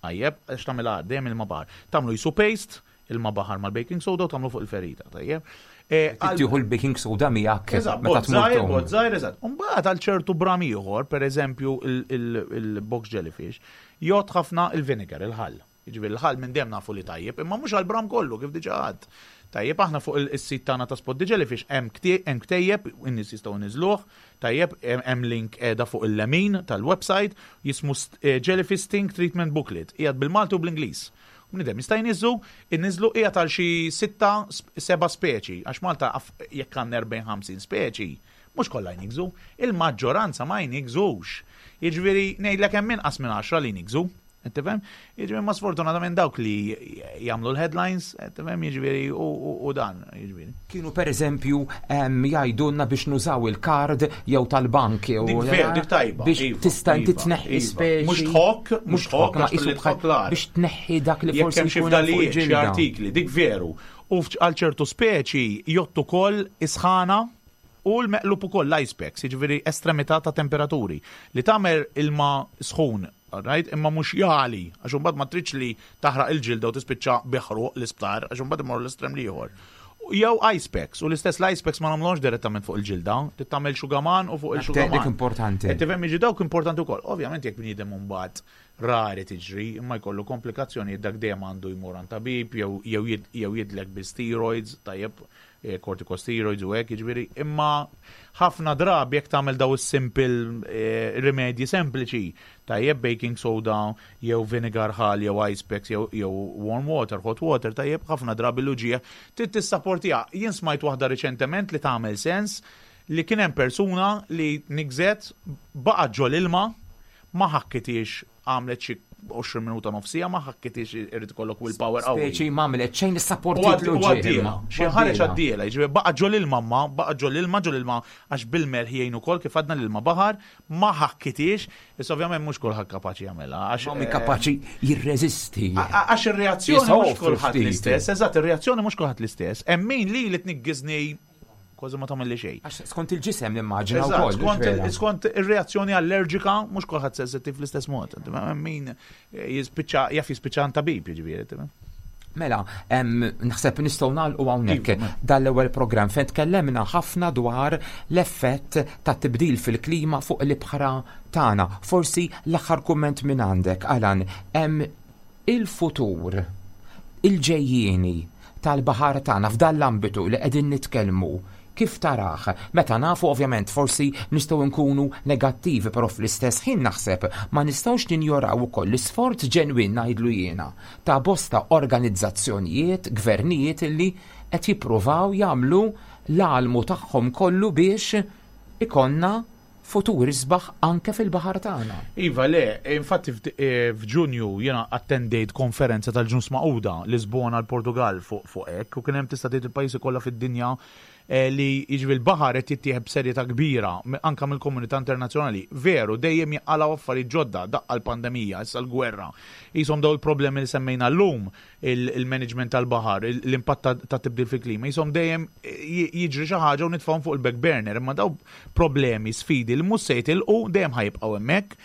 Tajjeb, għax tagħmilha dejjem ilma baħar. Tagħmlu jisu paste, ilma baħar mal-baking soda u tagħmlu fuq il-ferita, tajjeb. E, Tieħu l-baking soda miegħek. Eżatt, meta tmur. Bot żgħir, eżatt. Imbagħad għal ċertu bram ieħor, pereżempju il-box jellyfish, jgħod ħafna il-vinegar, il-ħall. Jiġifieri l-ħall minn dejjem nafu li tajjeb, imma mhux għall-bram kollu kif diġà għadd. Tajjeb, aħna fuq is-sit tagħna ta' Spot the Jellyfish hemm ktejjeb, in-nies jistgħu jniżżluh, tajjeb, hemm link qiegħda fuq il-lemin tal-website, jismu Jellyfish Sting Treatment Booklet, qiegħed bil-Malti u bl-Ingliż. Bniedem jista' jniżżu, inniżżlu qiegħed għal xi sitta, seba' speċi, għax Malta jekk għandna 40, 50 speċi, mhux kollha jniggżu, il-maġġoranza ma jniggżux. Jiġifieri ngħidlek hemm inqas minn għaxra li jniggżu. Qed tifhem? Jiġifieri ma sfortunatament dawk li jagħmlu l-headlines, qed tifhem, jiġifieri u dan, jiġifieri. Kienu pereżempju jgħidulna biex nużaw il-kard jew tal-bank jew. Dik veru, dik tajba. Biex iva, tista' inti iva, tneħħi iva. speċi. Mhux tħokk, mhux tħokk, ma qisu biex tneħħi dak li forsi jkun hemm xi xi artikli, dik veru. U għal ċertu speċi jgħottu ukoll isħana u l-meqlub ukoll l-ice packs, jiġifieri estremità ta' temperaturi li tagħmel ilma sħun Alright, imma mhux jagħli, għax imbagħad ma tridx li taħraq il-ġilda u tispiċċa bi ħruq l-isptar, għax imbagħad imorru l-estrem l-ieħor. Jew ice packs, u l-istess l-ice packs ma nagħmluhomx direttament fuq il-ġilda, trid tagħmel xugaman u fuq il-xugaman. Dik importanti. Qed tifhem jiġi dawk importanti wkoll. Ovvjament jekk bniedem imbagħad rari tiġri, imma jkollu komplikazzjonijiet dak dejjem għandu jmur għand tabib jew jew jidlek bi steroids, tajjeb, Eh, corticosteroids u hekk, jiġifieri, imma ħafna drabi jekk tagħmel daw is-simple eh, rimedji sempliċi, tajjeb baking soda jew vinegar ħal jew ice packs jew, jew warm water, hot water, tajjeb ħafna drabi l-uġigħ trid tissapportiha. Jien smajt waħda riċentement li tagħmel sens li kien hemm persuna li nigżet baqgħet ġol ilma ma ħakkitiex għamlet xi 20 minuta nofsija ma ħakkitix irid ikollok willpower qawwi. Speċi ma għamlet xejn issapportit l-uġigħ. Xi ħareġ għaddiela, jiġifieri baqa' ġol ilma ma, baqa' ġol ilma ġol ilma għax bil-melħ jgħin ukoll kif għadna l-ilma baħar, ma ħakkitix, issa ovvjament mhux kulħadd kapaċi jagħmilha. Għax ma kapaċi jirreżisti. Għax ir-reazzjoni mhux kulħadd l-istess, eżatt, ir-reazzjoni mhux kulħadd l-istess. Hemm min li li tniggiżni kważi ma tagħmel li xejn. Għax skont il-ġisem nimmaġina wkoll. Skont ir-reazzjoni allerġika mhux kulħadd sensittiv fl-istess mod. Min eh, jispiċċa jaf jispiċċa għand tabib jiġifieri. Mela, naħseb nistgħu nagħlqu hawnhekk iva, dal-ewwel programm fejn tkellemna ħafna dwar l-effett ta' tibdil fil-klima fuq l-ibħra tagħna. Forsi l-aħħar kumment minn għandek, Alan, il-futur, il-ġejjieni tal-baħar tagħna f'dan l-ambitu li qegħdin nitkellmu, kif tarah? Meta nafu ovvjament forsi nistgħu nkunu negattivi però fl-istess ħin naħseb ma nistgħux ninjoraw ukoll l-isforz ġenwin ngħidlu jiena ta' bosta organizzazzjonijiet, gvernijiet illi qed jippruvaw jagħmlu l-almu tagħhom kollu biex ikollna futur isbaħ anke fil-baħar tagħna. Iva, le, infatti eh, f'Ġunju jiena attendejt konferenza tal-Ġnus Magħquda Lisbona l-Portugal fuq hekk u kien hemm tista' tgħid il-pajjiżi kollha fid-dinja eh, li jiġri l-baħar qed jittieħed b'serjetà kbira anke mill-komunità internazzjonali. Veru, dejjem jinqalgħu affarijiet ġodda, daqqa l-pandemija, issa l-gwerra. Qishom dawn il-problemi li semmejna llum il-management tal-baħar, l-impatt ta' tibdil fil-klima, jisom dejjem jiġri xi ħaġa u nitfgħuhom fuq il-back burner, imma daw problemi, sfidi li mhux se jitilqu dejjem ħajibqgħu hemmhekk.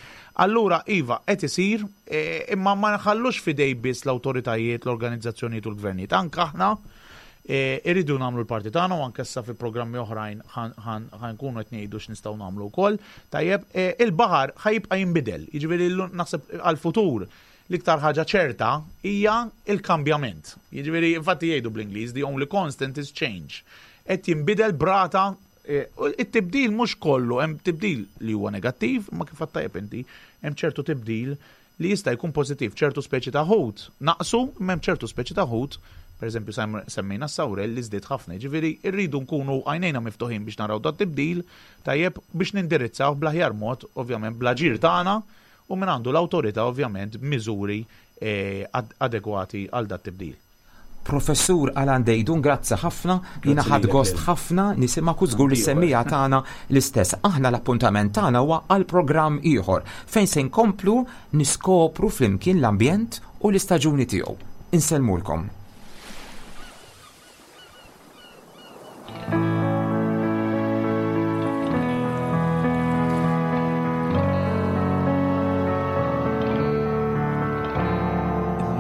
Allura iva qed isir, e, imma ma nħallux fidej biss l-awtoritajiet, l-organizzazzjonijiet u l-gvernijiet. Anke aħna e, irridu nagħmlu l-parti tagħna u anke issa fi programmi oħrajn ħankunu qed ngħidu x'nistgħu nagħmlu wkoll. Tajjeb, e, il-baħar ħajibqa' jinbidel, jiġifieri naħseb għall-futur L-iktar ħaġa ċerta hija l-kambjament. Jiġifieri, infatti jgħidu bl-Ingliż, the only constant is change. Qed jinbidel b'rata eh, it-tibdil mhux kollu, hemm tibdil li huwa negattiv, ma kif tajjeb inti, hemm ċertu tibdil li jista' jkun pożittiv, ċertu speċi ta' ħut naqsu, imma hemm ċertu speċi ta' ħut, pereżempju semmejna s-sawrel li żdied ħafna, jiġifieri rridu nkunu għajnejna miftuħin biex naraw dat tibdil tajjeb biex nindirizzaw bl-aħjar mod, ovvjament bl-aġir tagħna u min għandu l-awtorità ovvjament b'miżuri adegwati għal dat-tibdil. Professur Alan Deidun, grazzi ħafna, jiena ħadt gost ħafna nisimgħek u żgur li s-semmiegħa tagħna l-istess. Aħna l-appuntament tagħna huwa għal programm ieħor fejn se nkomplu niskopru flimkien l-ambjent u l-istaġuni tiegħu. Insellmulkom.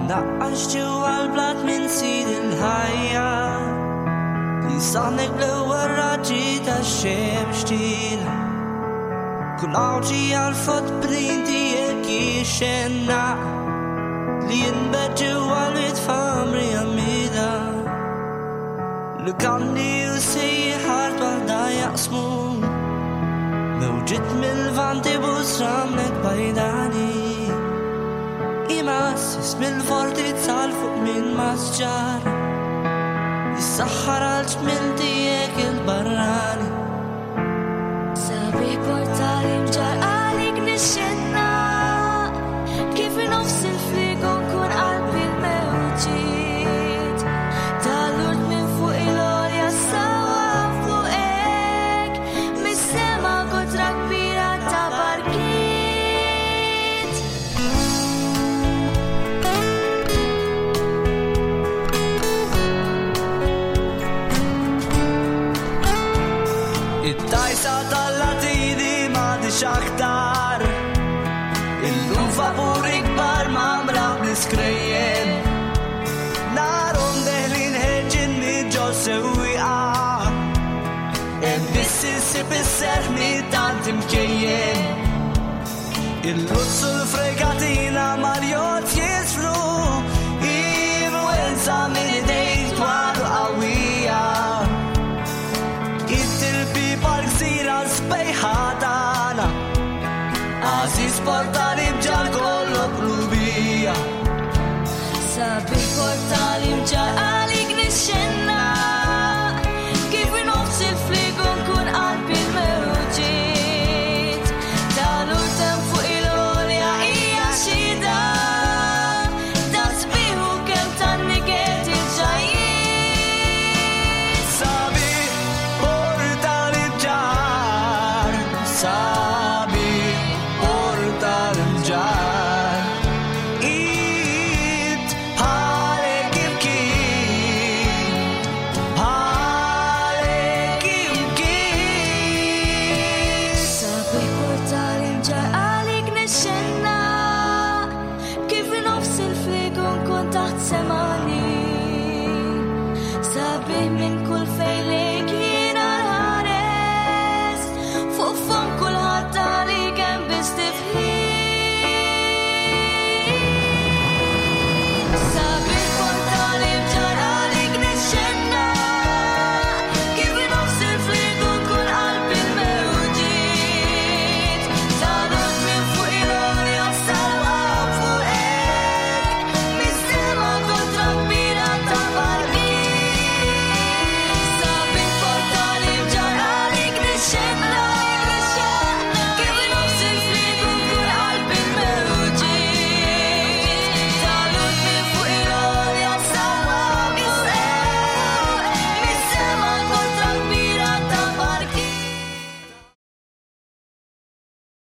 Naqqax ġewwa l-blat minn sid il-ħajja li saħnek bl-ewwel raġġi tax-xemx tila. Kull għawġi għal-fot bnin tiegħek jixxenna li jinbet ġewwa l-itfamri għamida. Lukanni u sejħar waħda jaqsmu Mewġiet mill-vanti busramlek bajdani Imassis mill-fortizza l fuq minn masġar Jissaħħar għal ġmil tiegħek il-barrani Sabiħ portali mġar għalik nixxenna Kif nofs il-frigu nkun qalbi l-mewġiet Tal-urt minn fuq il-għolja sawa fuqek Mis-sema kotra kbira ta' barkiet It-tajsa tal-latini m'għadix aktar Illum vapur ikbar mamra bl-iskrejjen Narhom deħlin ħerġin minn ġo sewwieqa Hemm biss insib is-serħ minn tant imkejjen Il-luzzu l-fregatina mal-jott jisfru Influenza minn idejk twal u qawwija It-tilbi bħal gżira sbejħa tagħna Għażiż portali